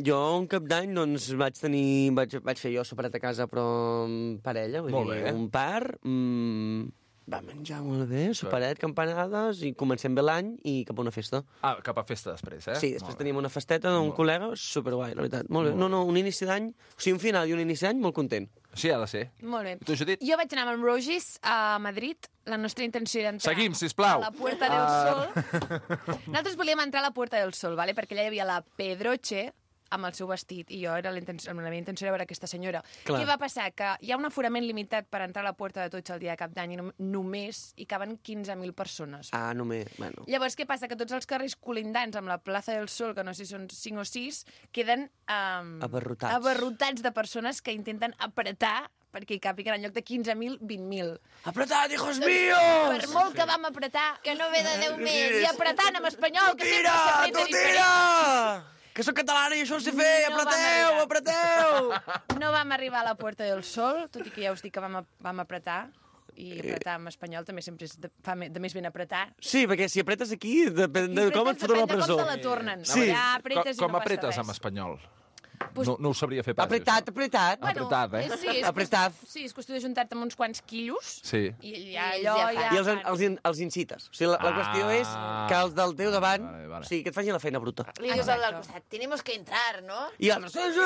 Jo un cap d'any doncs, vaig tenir... Vaig, vaig fer jo soperet a casa, però amb parella. Vull Molt dir, bé. Un par... Mm, va menjar molt bé, soperet, campanades, i comencem bé l'any i cap a una festa. Ah, cap a festa després, eh? Sí, després teníem una festeta d'un col·lega, superguai, la veritat. Molt bé. No, no, un inici d'any, o sigui, un final i un inici d'any molt content. Sí, ha de ser. Molt bé. Tu, Judit? Jo vaig anar amb el Rogis a Madrid. La nostra intenció era entrar Seguim, sisplau. a la Puerta del Ah. Sol. Nosaltres volíem entrar a la Puerta del Sol, ¿vale? Perquè allà hi havia la Pedroche amb el seu vestit, i jo era la, intenció, la meva intenció era veure aquesta senyora. Clar. Què va passar? Que hi ha un aforament limitat per entrar a la Puerta de Tots el dia de Cap d'Any i no, només hi caben quinze mil persones. Ah, només, bueno. Llavors, què passa? Que tots els carrers colindants amb la plaça del Sol, que no sé si són cinc o sis, queden um, Abarrotats. abarrotats de persones que intenten apretar perquè hi càpiguen en lloc de quinze mil, vint mil. Apretad, hijos Per míos! molt que vam apretar, Que no ve de Déu més. i apretant en espanyol, que sempre Tira, s'apreta tu diferent. tira! Que soc catalana i això ho sé fer! No vam Apreteu, arribar. apreteu! No vam arribar a la Puerta del Sol, tot i que ja us dic que vam, vam apretar, i apretar en espanyol també sempre és de, fa me- de més ben apretar. Sí, perquè si apretes aquí, depèn de com et foten a la Depèn de presó. com te la tornen. Sí. Ja apretes com i no com passa apretes res. en espanyol? Pues- No, no ho sabria fer pas. Apretat, això. apretat. Bueno, Apretat, eh? és- Sí, és, Apretat. Sí, és qüestió de juntar-te amb uns quants quilos Sí. i ja I ells allò ja ja... fan. I els, els, in- els incites. O sigui, la, la Ah. qüestió és que els del teu davant, Vale, vale. o sigui, que et facin la feina bruta. Li dius al del Exacto. costat, tenemos que entrar, ¿no? I els altres...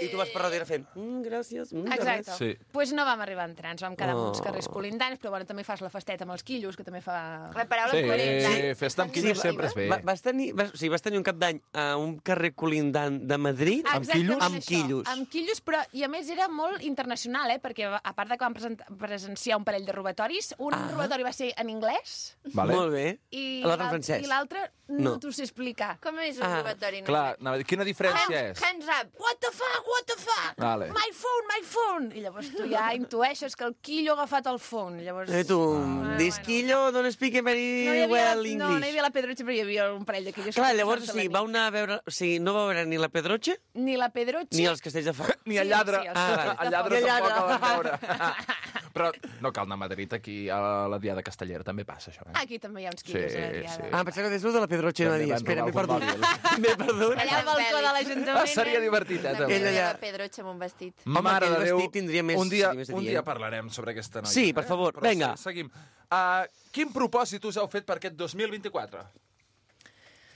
I tu vas per darrere fent... Mm, gràcies. Mm, de Exacte. res." Sí. Pues no vam arribar a entrar, ens vam quedar amb uns Oh. carrers colindants, però bueno, també fas la festeta amb els quillos, que també fa... La paraula Sí, coherent. festa amb quillos sempre és bé. Va, vas, tenir, vas, o sigui, vas tenir un cap d'any a un carrer colindant de Madrid Ah, amb exactament quillos? Amb això, quillos. Amb quillos, però i a més era molt internacional, eh? Perquè a part de que vam present- presenciar un parell de robatoris, un Ah. robatori va ser en anglès Vale. Molt bé. i L'altre en l'al- francès. i l'altre no, No. t'ho sé explicar. Com és un Ah, robatori? Clar, anava a dir, quina diferència Hands, és? hands up. What the fuck, what the fuck? Vale. My phone, my phone! I llavors tu ja intueixes que el quillo ha agafat el phone. Llavors... Eh, tu, Ah, this quillo don't speak very No hi havia, well la, English. no, no hi havia la Pedroche, però hi havia un parell de quillos. Clar, que llavors, posant-se sí, la vau anar a veure... O sigui, no vau veure ni la Pedroche Ni la Pedroche... ni els castells de foc. Ni el lladre. Sí, sí, els Ah, castells vale. de El lladre foc. tampoc el lladre. vam veure. Però no cal anar a Madrid, aquí a la Diada Castellera també passa això, eh? Aquí també hi ha uns quillos Sí, a la diada. sí. Ah, pensava que des de la Pedroche no També dia. van Espera, m'he robar algun perdut. M'he perdut. Allà al balcó de l'Ajuntament. Ah, seria divertit, eh, També també. Ella Ella ja- la Pedroche amb un vestit. Home, Mare aquell de Déu, vestit tindria més- un dia, seria més un adient. dia parlarem sobre aquesta noia. Sí, per favor, eh? Però vinga. Sí, seguim. Uh, quin propòsit us heu fet per aquest dos mil vint-i-quatre?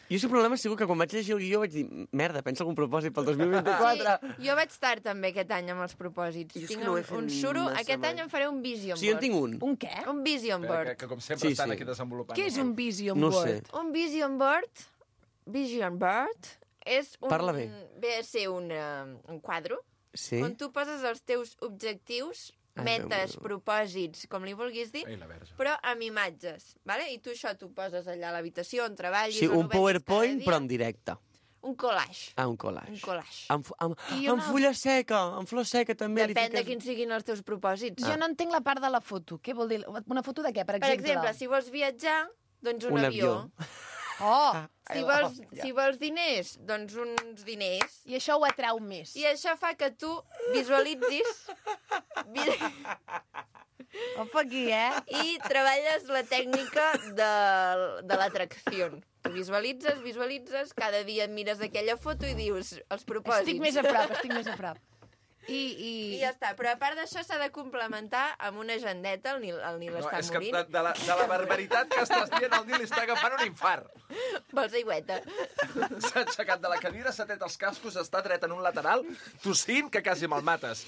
Jo, si el problema ha sigut que quan vaig llegir el guió vaig dir merda, pensa algun propòsit pel dos mil vint-i-quatre. Sí, jo vaig tard també aquest any amb els propòsits. Jo és Tinc que no ho he un, fet un suro. massa Aquest mai. any em faré un vision Sí, jo en board. tinc un. Un què? Un vision Que, board. que com sempre Sí, estan sí. aquí desenvolupant. Què és un vision No ho board? sé. Un vision board, vision board, és un... Parla bé. Ve a ser un, uh, un quadre Sí? on tu poses els teus objectius, Ai, metes, Déu meu. propòsits, com li vulguis dir, Ai, la verge. però amb imatges, vale? I tu això t'ho poses allà a l'habitació on treballis, Sí, on ho un vegis PowerPoint, cada dia. però en directe. Un collage. Ah, un collage. Un collage. Amb, amb, I amb una- fulla seca, amb flor seca també. li Depèn de fiques- quins siguin els teus propòsits. Jo no entenc la part de la foto. Què vol dir? Una foto de què, per Per exemple? exemple, si vols viatjar, doncs un, Un avió. avió. Oh! Si vols, si vols diners, doncs uns diners. I això ho atrau més. I això fa que tu visualitzis vi- Opa, aquí, eh? i treballes la tècnica de, de l'atracció. Tu visualitzes, visualitzes, cada dia et mires aquella foto i dius els propòsits. Estic més a prop, estic més a prop. I, i... I ja està. Però a part d'això s'ha de complementar amb una agendeta. El Nil, el Nil No, està és que morint. de, de, la, de la barbaritat que estàs dient, el Nil està agafant un infart. Vols aigüeta? S'ha aixecat de la cadira, s'ha tret els cascos, està dret en un lateral, tossint, que quasi me'l mates.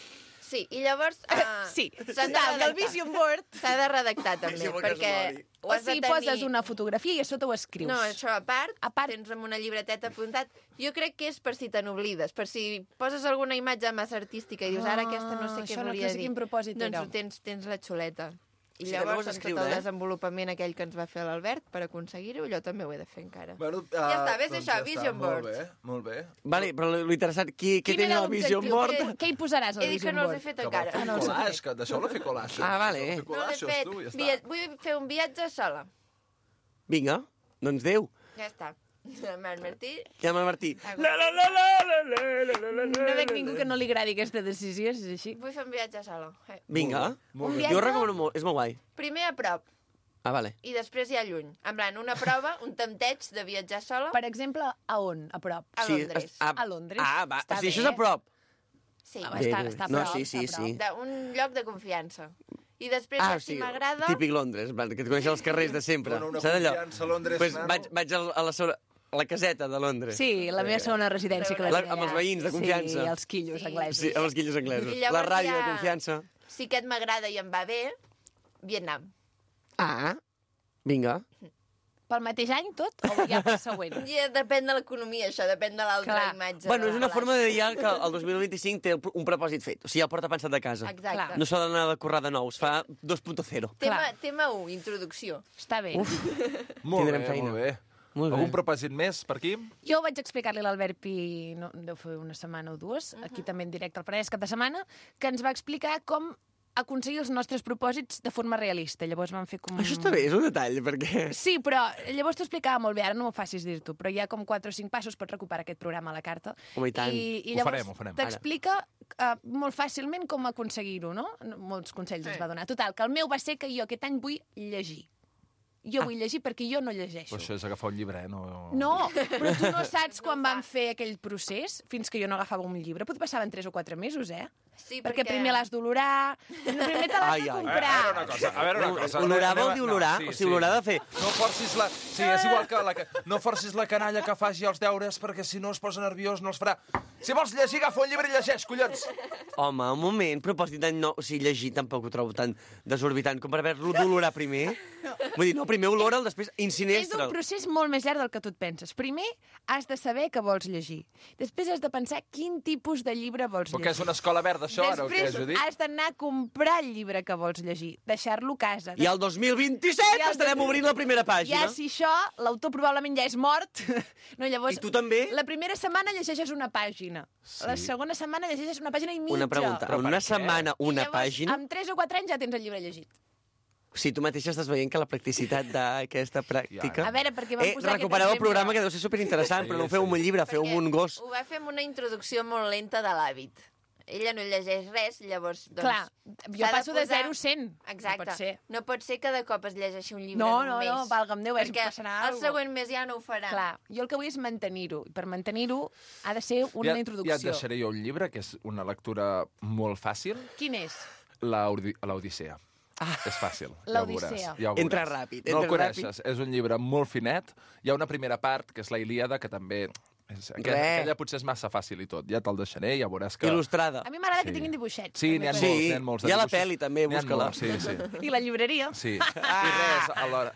Sí, i llavors... Uh, Sí, s'han de total, que el redactar. vision board... S'ha de redactar també, Vision board que perquè es mori. ho O has de sigui, tenir... poses una fotografia i a sota ho escrius. No, això a part, A part. tens amb una llibreteta apuntat. Jo crec que és per si te n'oblides, per si poses alguna imatge massa artística i dius, ara aquesta no sé Ah, què això no- volia no sé dir. quin propòsit doncs era. ho tens, tens la xuleta. I Sí, que no llavors, vols amb tot escriure, el eh? desenvolupament aquell que ens va fer l'Albert per aconseguir-ho, allò també ho he de fer encara. Bueno, uh, Ja està, ves doncs això, ja Vision està. Board. Molt bé, molt bé. Vale, però lo interessant, qui, què Quin tens era al Vision l'objectiu? Board? Què, què hi posaràs al He dit que Vision no els Board? he fet Que vol encara. fer un collage, que deixeu-la fer collage. Ah, vale. Deixeu-la fer No l'he collages, fet. tu, ja està. Via- Vull fer un viatge sola. Vinga, doncs Déu. Ja està. Marc Martí. Ja m'ha Martí. La, la, la, No veig ningú que no li agradi aquesta decisió, si és així. Vull fer un viatge sola. Eh. Vinga. Molt bé. Jo ho recomano molt, és molt guai. Primer a prop Ah, vale. i després ja lluny. En plan, una prova, un tempteig de viatjar sola. Per exemple, a on? A prop? A Sí, Londres. es- a- A Londres. Ah, va. Està O sigui, això és bé. a prop. Sí, Ah, està, està a No, prop, sí, sí, està a prop. sí. d'un lloc de confiança. I després, Ah, ja, o si sigui, m'agrada... típic Londres, en plan, que et coneixen els carrers de sempre. Dona una Saps allò? confiança a Londres, pues nano. vaig, vaig a la, segona- a la caseta de Londres. Sí, la meva segona residència que la La- tinc amb els allà. veïns de confiança. Sí, els quillos Sí. anglesos. Sí, amb els quillos anglesos. I La llavors ràdio ja- de confiança. Si aquest m'agrada i em va bé, Vietnam. Ah, vinga. Pel mateix any tot o ja pel següent? Ja depèn de l'economia, això, depèn de l'altra Clar. imatge. Bueno, de és una la forma de dir ja que el dos mil vint-i-cinc té un propòsit fet. O sigui, ja el porta pensat de casa. Exacte. No s'ha d'anar de currar de nou, es fa dos punt zero. Tema, tema u, introducció. Està bé. Molt Tindrem bé, feina. molt bé. Molt bé. Algun propòsit més per aquí? Jo vaig explicar-li a l'Albert Pi, no, deu fer una setmana o dues, aquí també en directe al Penedès cap de setmana, que ens va explicar com aconseguir els nostres propòsits de forma realista. Llavors vam fer com... Això està bé, és un detall, perquè... Sí, però llavors t'ho explicava molt bé, ara no m'ho facis dir-t'ho, però hi ha com quatre o cinc passos per recuperar aquest programa a la carta. Home, i tant. I, i Ho llavors farem, ho farem. t'explica uh, molt fàcilment com aconseguir-ho, no? Molts consells ens va donar. Total, que el meu va ser que jo aquest any vull llegir. Jo vull llegir perquè jo no llegeixo. Però això és agafar un llibre, eh? No, No, però tu no saps quan van fer aquell procés, fins que jo no agafava un llibre. Potser passaven tres o quatre mesos, eh? Sí, perquè, perquè- primer l'has d'olorar, primer te l'has Ai, de ai. comprar. A veure una cosa, a veure una cosa. Olorar Anem a- vol dir olorar? No, O sigui, olorar de fer... No forcis la... Sí, és igual que la... que- No forcis la canalla que faci els deures perquè si no es posa nerviós no els farà. Si vols llegir, agafa un llibre i llegeix, collons! Home, un moment, propòsit d'any nou... O sigui, llegir tampoc ho trobo tan desorbitant com per haver-lo d'olorar primer. Vull dir, no, primer olora'l, després És un incinestra'l. procés molt més llarg del que tu et penses. Primer, has de saber què vols llegir. Després has de pensar quin tipus de llibre vols Però llegir. que és una escola verda, això, ara, o què, Després Judit? has d'anar a comprar el llibre que vols llegir, deixar-lo a casa. I el dos mil vint-i-set I el estarem dos- obrint la primera pàgina. Ja, si això, l'autor probablement ja és mort. No, llavors, I tu també? La primera setmana llegeixes una pàgina. Sí. La segona setmana llegeixes una pàgina i mitja. Una pregunta. Però En per una què? setmana, I una llavors, pàgina... Amb tres o quatre anys ja tens el llibre llegit. Si tu mateixa estàs veient que la practicitat d'aquesta pràctica... A veure, perquè vam eh, posar aquest recupereu el exemple. programa, que deu ser superinteressant, Sí, però no ho feu amb un llibre, feu amb un gos. Ho va fer amb una introducció molt lenta de l'hàbit. Ella no llegeix res, llavors... Doncs, Clar, jo s'ha passo de posar- zero a cent. Exacte. No pot ser. No pot ser que de cop es llegeixi un llibre No, en un no, mes. no, valga'm Déu, és- perquè passarà el alguna següent mes ja no ho farà. Clar, jo el que vull és mantenir-ho. I per mantenir-ho ha de ser una ja, introducció. Ja et deixaré jo un llibre, que és una lectura molt fàcil, Quin és? la Odi- l'Odissea. Ah. És fàcil, ja ho L'Odissea. veuràs. Ja ho Entra veuràs. ràpid, No el entra coneixes, és un llibre molt finet. Hi ha una primera part, que és la Ilíada, que també... És, aquella, Res. aquella potser és massa fàcil i tot. Ja te'l deixaré, ja veuràs que... Il·lustrada. A mi m'agrada Sí. que tinguin dibuixets. Sí, n'hi ha també. molts, Sí, n'hi ha molts. de hi ha la dibuixos. pel·li, també, N'hi ha busca-la. molts, Sí, sí. I la llibreria. Sí, i res, a l'hora...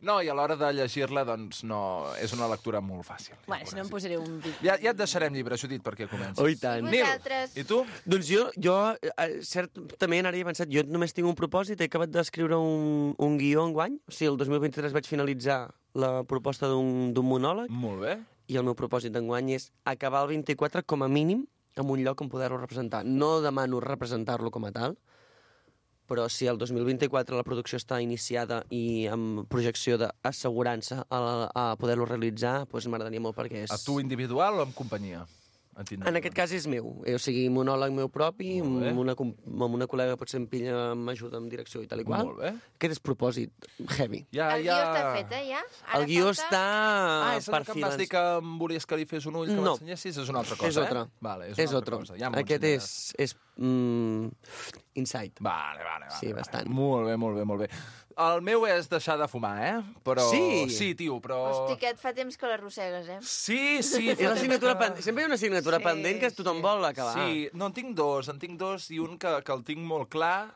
No, i a l'hora de llegir-la, doncs, no... És una lectura molt fàcil. Ja Bueno, si no em posaré un... vi- Ja, ja et deixarem llibre, Judit, perquè comencis. Oh, i tant. I Nil, vosaltres? i tu? Doncs jo, jo eh, certament ara he pensat, jo només tinc un propòsit, he acabat d'escriure un, un guió enguany, o sigui, el dos mil vint-i-tres vaig finalitzar la proposta d'un d'un monòleg, Molt bé. i el meu propòsit d'enguany és acabar el vint-i-quatre com a mínim en un lloc on poder-lo representar. No demano representar-lo com a tal, però si el dos mil vint-i-quatre la producció està iniciada i amb projecció d'assegurança a, a poder-lo realitzar, doncs m'agradaria molt perquè és... A tu individual o en companyia? En aquest cas és meu, eh, o sigui, monòleg meu propi, Molt bé. amb una, com- amb una col·lega potser em pilla, m'ajuda amb direcció i tal i qual. Molt bé. Aquest és propòsit heavy. Ja, El guió està fet, eh, ja? Ara El guió falta- està Ah, és el per que em vas dir que em volies que li fes un ull, que No. m'ensenyessis? És una altra cosa, És altra. eh? Vale, és, és una altra otro. cosa. Ja m'ho Aquest ensenyaràs. és, és mm, insight. Vale, vale, vale. Sí, vale. bastant. Molt bé, molt bé, molt bé. El meu és deixar de fumar, eh? Però... Sí? Sí, tio, però... Hosti, que et fa temps que l'arrossegues, eh? Sí, sí. És l'assignatura pendent. Sempre hi ha una assignatura Sí, pendent que tothom sí. vol acabar. Sí, no, en tinc dos, en tinc dos i un que, que el tinc molt clar,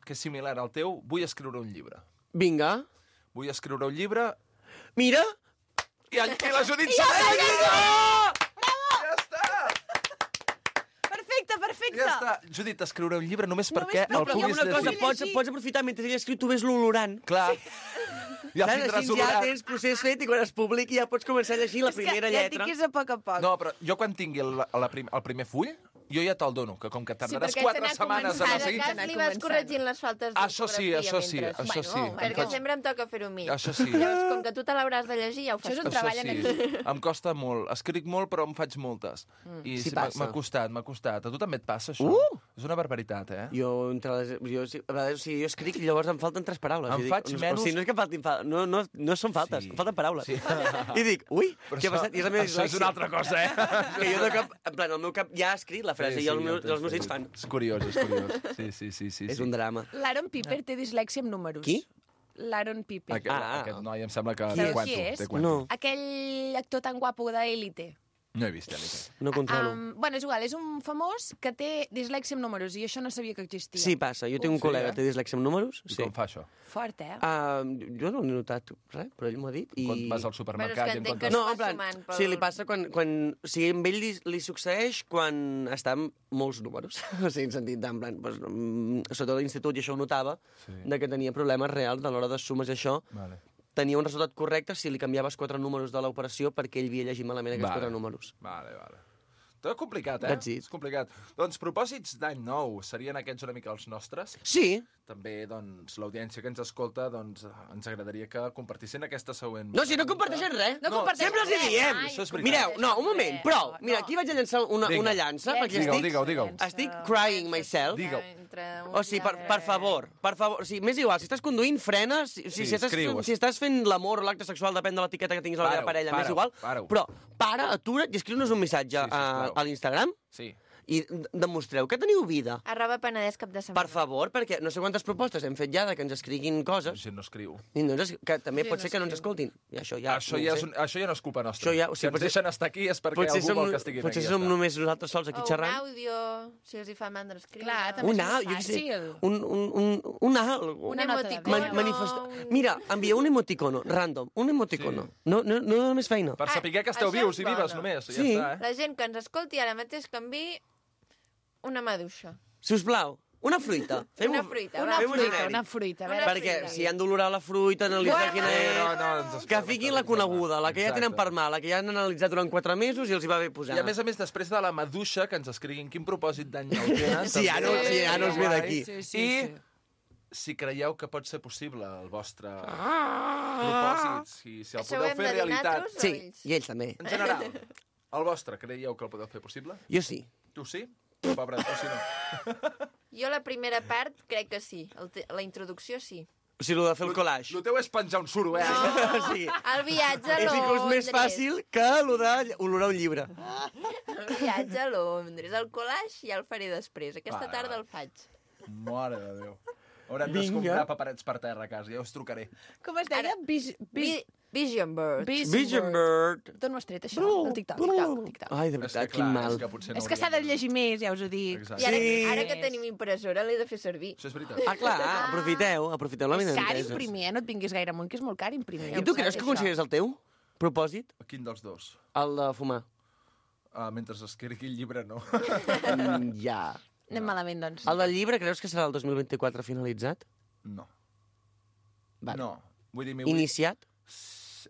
que és similar al teu. Vull escriure un llibre. Vinga. Vull escriure un llibre Mira! i, el, i la Judit Ja s'ha l'he de dit! Ja està! Perfecte, perfecte. Ja està. Judit, escriure un llibre només perquè No, el però hi ha puguis una cosa, llegir. pots, pots aprofitar mentre ell escriu, tu ves l'olorant. Clar. Ja Saps? tindràs Així ja olorat. tens procés fet i quan es publiqui ja pots començar a llegir la primera ja et lletra. dic que és a poc a poc. No, però jo quan tingui el, la prim, el primer full, jo ja te'l dono, que com que tardaràs perquè quatre s'ha anat setmanes a no començant. seguir... Cada cas li vas corregint les faltes Això sí, d'ortografia això sí, mentre. això sí. Bueno, perquè Em faig- sempre em toca fer-ho a mi. Això sí. Llavors, com que tu te l'hauràs de llegir, ja ho fas. Això és un tu. treball Això en sí. equip. Em costa molt. Escric molt, però em faig moltes. Mm. I Sí sí, m'ha passa. m'ha costat, m'ha costat. A tu també et passa, això? Uh! És una barbaritat, eh? Jo, entre les, jo, sí, a vegades, o sigui, jo escric i llavors em falten tres paraules. Em I dic, faig no, menys- O sigui, no és que faltin... Fa... No, no, no són faltes, Sí. em falten paraules. Sí. I dic, ui, Però què ha això- passat? I és la meva això és una altra cosa, eh? Que jo de cap, en plan, el meu cap ja ha escrit la frase i els meus, els meus dits fan... És curiós, és curiós. Sí, sí, sí. sí, És sí. un drama. L'Aaron Piper té dislèxia amb números. Qui? L'Aaron Piper. Aquest, Ah, ah. aquest noi em sembla que Qui té és? cuento. Qui és? Té cuento. No, Aquell actor tan guapo d'Élite. No he vist, Elite. no controlo. Um, bueno, és igual, és un famós que té dislèxia amb números i això no sabia que existia. Sí, passa. Jo tinc un Sí, col·lega eh? que té dislèxia amb números. I Sí. com fa això? Fort, eh? Uh, jo no n'he notat res, però ell m'ho ha dit. I... Quan vas al Bueno, supermercat és que i en entenc que comptes... No, va en plan, sumant pel- sí, li passa quan... quan o sigui, amb ell li, li succeeix quan està amb molts números. O sigui, en sentit, en plan, doncs, mm, sobretot a l'institut, i això ho notava, Sí. de que tenia problemes reals a l'hora de sumes i això. Vale. Tenia un resultat correcte si li canviaves quatre números de l'operació perquè ell havia llegit malament aquests Vale. quatre números. Vale, vale. Tot complicat, eh? That's it. És complicat. Doncs propòsits d'any nou serien aquests una mica els nostres. Sí. També, doncs, l'audiència que ens escolta, doncs, ens agradaria que compartissin aquesta següent... No, si no comparteixen res. No comparteixen Sempre els hi res. diem. Ai, Això és veritat. Mireu, no, un moment, prou. Mira, No. aquí vaig a llançar una, Vinga. una llança, perquè Digue-ho, estic, digue-ho, digue-ho. estic crying myself. Digue-ho. Entre un O sigui, per, per favor, per favor, o sigui, m'és igual, si estàs conduint, frena, si, si, Sí, si, estàs, escriu. si estàs fent l'amor o l'acte sexual, depèn de l'etiqueta que tinguis a la teva Para-ho, parella, m'és para-ho, igual, para-ho. però para, atura't i escriu-nos un missatge Sí, a, sisplau. a l'Instagram Sí. i d- demostreu que teniu vida. Arroba Penedès cap de setmana. Per favor, perquè no sé quantes propostes hem fet ja de que ens escriguin La coses, gent no escriu. i no ens, es- que també Sí, pot no ser que no ens escriu. escoltin. I això ja, això, no ho ja sé. és un, això ja no és culpa nostra. Això ja- o si sigui, ens potser- deixen estar aquí és perquè Potser algú som, vol que estiguin potser aquí. som ja està. només nosaltres sols aquí O un xerrant. àudio, si els hi fa mandra escriure. Clar, també Un és alt, més jo què sé, fàcil. un, un, un, un alt. Un Una nota de emoticono. veu. Man, manifesta... un- Mira, envia un emoticono, random, un emoticono. Sí. No, no, no dona més feina. Per Ah, saber que esteu això vius és i vives bona. només. Ja Sí. està, eh? La gent que ens escolti ara mateix que enviï una maduixa. Si us plau, una fruita. Fem Una un- fruita, Una va. fem un fruita, genèric. una fruita. A Una veure, Perquè fruita. si han d'olorar la fruita, analitzar quina Eh, és... no, no, ens Que fiquin la coneguda, la que ja tenen per mà, la que ja han analitzat durant quatre mesos i els hi va bé posar. I a més a més, després de la maduixa, que ens escriguin quin propòsit d'any nou tenen. Sí, ja no- també. sí, ja no es ve d'aquí. Sí, sí, I sí. si creieu que pot ser possible el vostre Ah! propòsit, si, si el Això ho podeu hem fer de dir realitat. nosaltres? Sí, ells? i ells també. En general, el vostre, creieu que el podeu fer possible? Jo sí. Tu sí? Pobre, tu sí no. Jo la primera part crec que sí. El te- la introducció sí. O sigui, el de fer el collage. El teu és penjar un suro, eh? O sigui, El viatge a és inclús Londres. més fàcil que el de olorar un llibre. El viatge a Londres. El collage ja el faré després. Aquesta Va, tarda va. el faig. Mare de Déu. Haurem Vinga. d'escombrar paperets per terra a casa, ja us trucaré. Com es deia? Vis, vis, Vi Vision Bird. Vision Bird. D'on ho has tret, això? El TikTok, TikTok, TikTok. Ai, de És veritat, que, quin clar, mal. és que potser no És que s'ha de hauríem llegir més, ja us ho dic. Exacte. I ara, Sí. ara que tenim impressora l'he de fer servir. Això és veritat. Ah, clar, aprofiteu, aprofiteu la És mina car d'enteses. imprimir, eh? No et vinguis gaire amunt, que és molt car imprimir. I tu creus que consideres el teu propòsit? Quin dels dos? El de fumar. Uh, mentre escrigui el llibre, no. Mm, ja. Anem malament, doncs. El del llibre creus que serà el dos mil vint-i-quatre finalitzat? No. Vale. No. Vull dir, m'hi vull... Iniciat?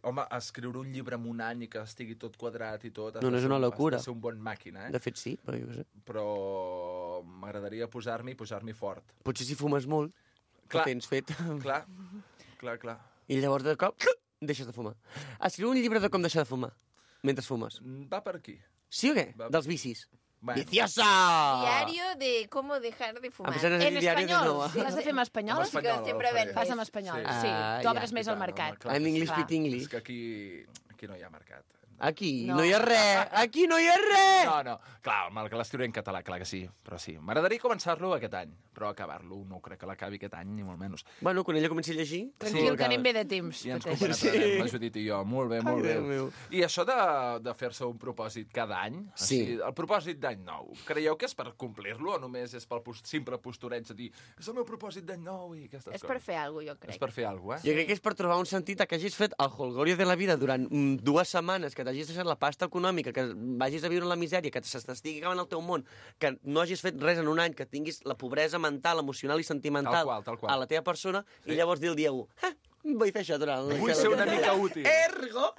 Home, escriure un llibre en un any i que estigui tot quadrat i tot... has No, no de és ser una un- locura. Has de ser un bon màquina, eh? De fet, sí, però jo què sé. Però m'agradaria posar-m'hi i posar-m'hi fort. Potser si fumes molt, Clar. ho tens fet. Clar, clar, clar. I llavors de cop deixes de fumar. Escriu un llibre de com deixar de fumar mentre fumes. Va per aquí. Sí o què? Va. Dels vicis. Bueno. ¡Viciosa! Diario de cómo dejar de fumar. A pesar de En diario de espanyol. Nova. L'has de fer en espanyol? En espanyol, que sempre el faré. ven Fas en espanyol, Sí. sí. Ah, Tu ja. obres més I al tant, mercat. home, clar. En English Clar. Fit English. És que aquí, aquí no hi ha mercat. Aquí no. No. no hi ha res! Aquí no hi ha res! No, no. Clar, mal que l'escriuré en català, clar que sí. Però sí. M'agradaria començar-lo aquest any. Però acabar-lo no crec que l'acabi aquest any, ni molt menys. Bueno, quan ella comenci a llegir... Tranquil, sí, que anem bé de temps. I ens pateix. compenetrarem, la Judit i jo. Molt bé, molt Ai, bé. Déu meu. I això de, de fer-se un propòsit cada any, Sí. així, el propòsit d'any nou, creieu que és per complir-lo o només és pel post simple postureig de dir és el meu propòsit d'any nou i aquestes És coses? per fer alguna cosa, jo crec. És per fer alguna cosa, Jo eh? crec que és per trobar un sentit a que hagis fet el holgorio de la vida durant mm, dues setmanes que que t'hagis deixat la pasta econòmica, que vagis a viure en la misèria, que s'estigui acabant el teu món, que no hagis fet res en un any, que tinguis la pobresa mental, emocional i sentimental Tal qual, tal qual. a la teva persona, sí. I llavors dir el dia u, ah, vull fer això durant... Vull ser una mica útil. Ergo,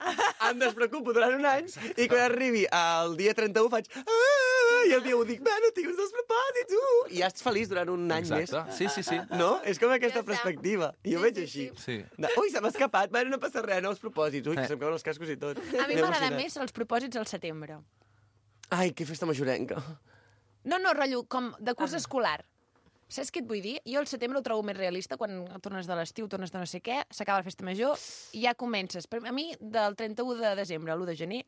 em despreocupo durant un any, i quan arribi al dia trenta-u faig... Ah, i el dia u dic, bueno, tinc uns dels propòsits, uh! I ja ets feliç durant un any Exacte. més. Sí, sí, sí. No? És com aquesta Ja està. perspectiva. I jo Sí, veig sí, així. Sí. De, ui, se m'ha escapat, bueno, no passa res, nous propòsits. Ui, Eh. que se'm cauen els cascos i tot. A mi M'he m'agrada emocionat. més els propòsits al setembre. Ai, que festa majorenca. No, no, rotllo, com de curs escolar. Saps què et vull dir? Jo el setembre ho trobo més realista, quan tornes de l'estiu, tornes de no sé què, s'acaba la festa major i ja comences. Per a mi, del trenta-u de desembre a l'u de gener,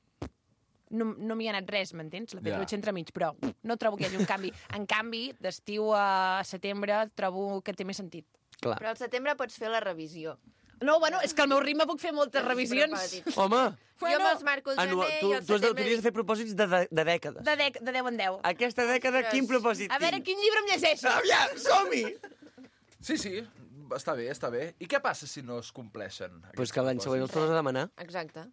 no, no m'hi ha anat res, m'entens? La Ja. Pedro entremig, però no trobo que hi hagi un canvi. En canvi, d'estiu a setembre trobo que té més sentit. Clar. Però al setembre pots fer la revisió. No, bueno, és que al meu ritme puc fer moltes revisions. Propòsits. Home, Jo me'ls marco el gener Anual, tu, i al tu, has de, tu setembre... hauries de fer propòsits de, de, de dècades. De, dec, de deu en deu. Aquesta dècada, Ostres. quin propòsit A veure, tinc? quin llibre em llegeixo? Aviam, som-hi! Sí, sí, està bé, està bé. I què passa si no es compleixen? Pues que l'any següent els tornes a demanar. Exacte.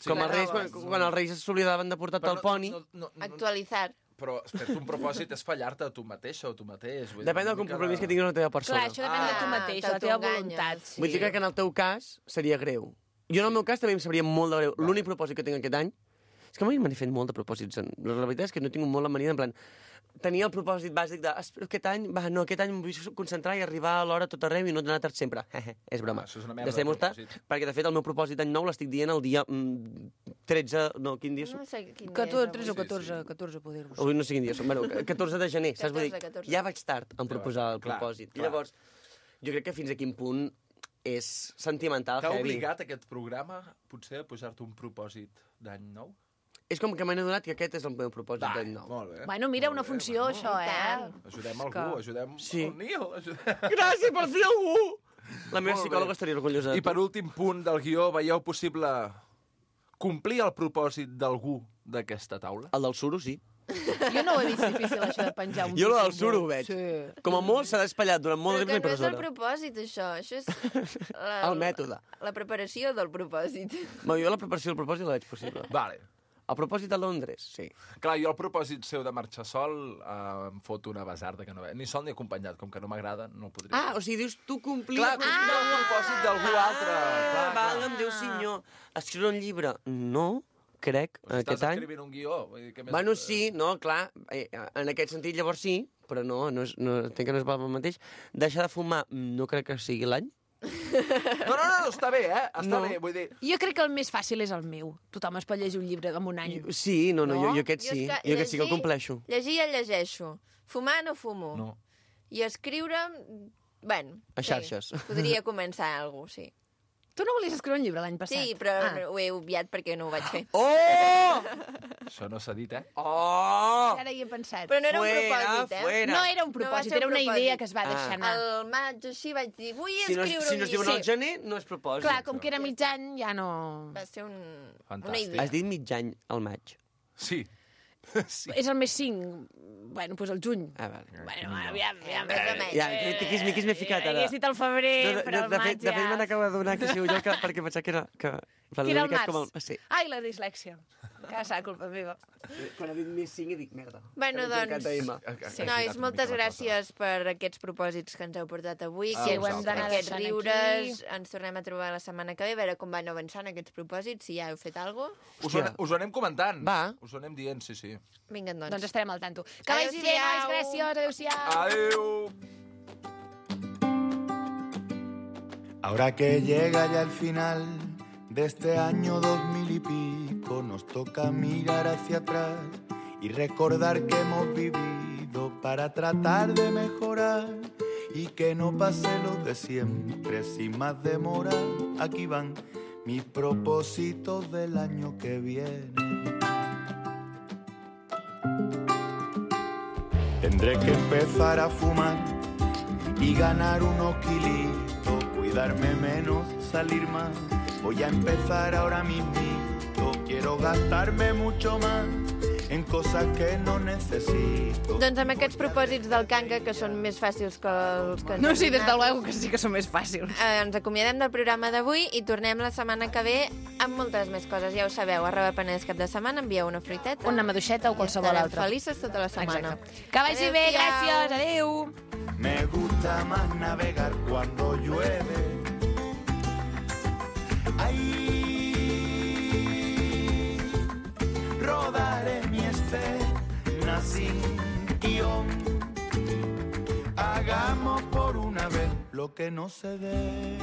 Sí, Com no, els reis, no, quan, no. quan els reis s'oblidaven de portar-te el poni. No, no, no, no, Actualitzar. però, espera, un propòsit és fallar-te a tu mateixa o tu mateix. Vull dir, Depèn del una mica compromís de- que tinguis amb la teva persona. Clar, això depèn de tu Ah, mateix, de la teva t'autoenganyes, voluntat. sí. Vull dir que en el teu cas seria greu. Jo en el meu cas també em sabria molt de greu. L'únic propòsit que tinc aquest any és que mai m'he fet molt de propòsits. en- La veritat és que no tinc molt la mania, en plan, tenia el propòsit bàsic de "Espero aquest any, va, no, aquest any em vull concentrar i arribar a l'hora a tot arreu i no anar tard sempre. És broma. Ah, això és una merda de Deixem-ho estar, propòsit. perquè de fet el meu propòsit d'any nou l'estic dient el dia mm, tretze, no, quin dia som? No sé quin dia és catorze, tretze o avui. catorze, catorze, poder vos Avui no sé quin dia som. Bueno, catorze de gener, saps? Vull dir, catorze, catorze. ja vaig tard en proposar el clar, propòsit. I clar. llavors, jo crec que fins a quin punt és sentimental, T'ha heavy. obligat aquest programa, potser, a posar-te un propòsit d'any nou? És com que m'he adonat que aquest és el meu propòsit Va, d'any nou. molt bé. Bueno, mira, molt una bé, funció, molt això, I tant. eh? Ajudem És algú, que- ajudem Sí. el Nil. Ajudem... Gràcies per fer algú! La meva Molt bé. psicòloga estaria orgullosa de I per últim punt del guió, veieu possible complir el propòsit d'algú d'aquesta taula? El del suro, sí. Jo no ho he vist difícil, això de penjar un Jo el del símbol. suro ho veig. Sí. Com a molt s'ha despallat durant molt Però de que temps no i és el presona. propòsit, això. Això és la, El mètode. La preparació del propòsit. Ma, jo la preparació del propòsit la veig possible. Vale. El propòsit a Londres, sí. Clar, jo el propòsit seu de marxar sol eh, em foto una basarda que no ve. Ni sol ni acompanyat, com que no m'agrada, no el podria Ah, o sigui, dius tu complir... Clar, complir el propòsit d'algú altre. Ah, Clar, clar. valga'm Déu senyor. Escriure un llibre? No, crec, Però si aquest estàs any. escrivint un guió. Vull dir, què més... Bueno, sí, no, clar, eh, en aquest sentit llavors sí, però no, no, és, no entenc que no és val el mateix. Deixar de fumar, no crec que sigui l'any. No, no, no, està bé, eh? Està No. bé, vull dir... Jo crec que el més fàcil és el meu. Tothom es pot llegir un llibre en un any. Sí, no, no, No? jo, jo aquest Jo és sí, que jo aquest sí que el llegir- compleixo. Llegir el llegeixo. Fumar no fumo. No. I escriure... Bueno, A xarxes. Sí, podria començar alguna cosa, sí. Tu no volies escriure un llibre l'any passat? Sí, però Ah. ho he obviat perquè no ho vaig fer. Oh! Això no s'ha dit, eh? Oh! Ara hi he pensat. Però no era un Fuera, propòsit, eh? fuera. No era un No va propòsit, ser un era una propòsit. idea que es va deixar Ah. anar. Al maig així vaig dir, vull Si no, escriure si no un es diuen llibre. al gener, no és propòsit. Clar, com que era mig any, ja no... Va ser un... una Fantàstic. idea. Has dit mig any al maig. Sí. sí. És el mes cinc. Bueno, doncs el juny. Ah, vale. Bueno, aviam, aviam. Més o menys. Ja, tiquis-miquis m'he ficat ara. Hagués dit el febrer, No, de, però de, el de, maig fet, de fet, ja... me n'acabo d'adonar que sigo jo, que, perquè pensava que era... Que, Que era el mica és març. com el- Sí. Ai, la dislèxia. Que serà culpa meva. Quan ha dit més cinc, he dit merda. Bueno, Que m'he equivocat doncs, d'M. sí. nois, moltes gràcies per aquests propòsits que ens heu portat avui. Ah, Sí, que ho hem d'anar aquests deixant riures. Ens tornem a trobar la setmana que ve, a veure com van avançant aquests propòsits, si ja heu fet alguna cosa. Us, ho, anem- us ho anem comentant. Va. Us ho anem dient, sí, sí. Vinga, doncs. Doncs estarem al tanto. Que vagi bé, Adéu-siau. nois, gràcies, adéu-siau. Adéu! Ahora que llega ya el final de este año dos mil y pico, nos toca mirar hacia atrás y recordar que hemos vivido para tratar de mejorar y que no pase lo de siempre sin más demora. Aquí van mis propósitos del año que viene. Tendré que empezar a fumar y ganar unos kilitos, cuidarme menos, salir más. Voy a empezar ahora mismito, quiero gastarme mucho más en cosas que no necesito. Doncs amb aquests propòsits del Canca, que són més fàcils que els que ens No, hem sí, des donat, de luego que sí que són més fàcils. eh, ens acomiadem del programa d'avui i tornem la setmana que ve amb moltes més coses. Ja ho sabeu, arroba Penedès cap de setmana, envieu una fruiteta. Una maduixeta o qualsevol estarem altra. felices tota la setmana. Exacte. Que vagi bé, Adéu-siau. gràcies, adéu. Me gusta más navegar cuando llueve. Ahí rodaré mi escena sin guión. Hagamos por una vez lo que no se debe.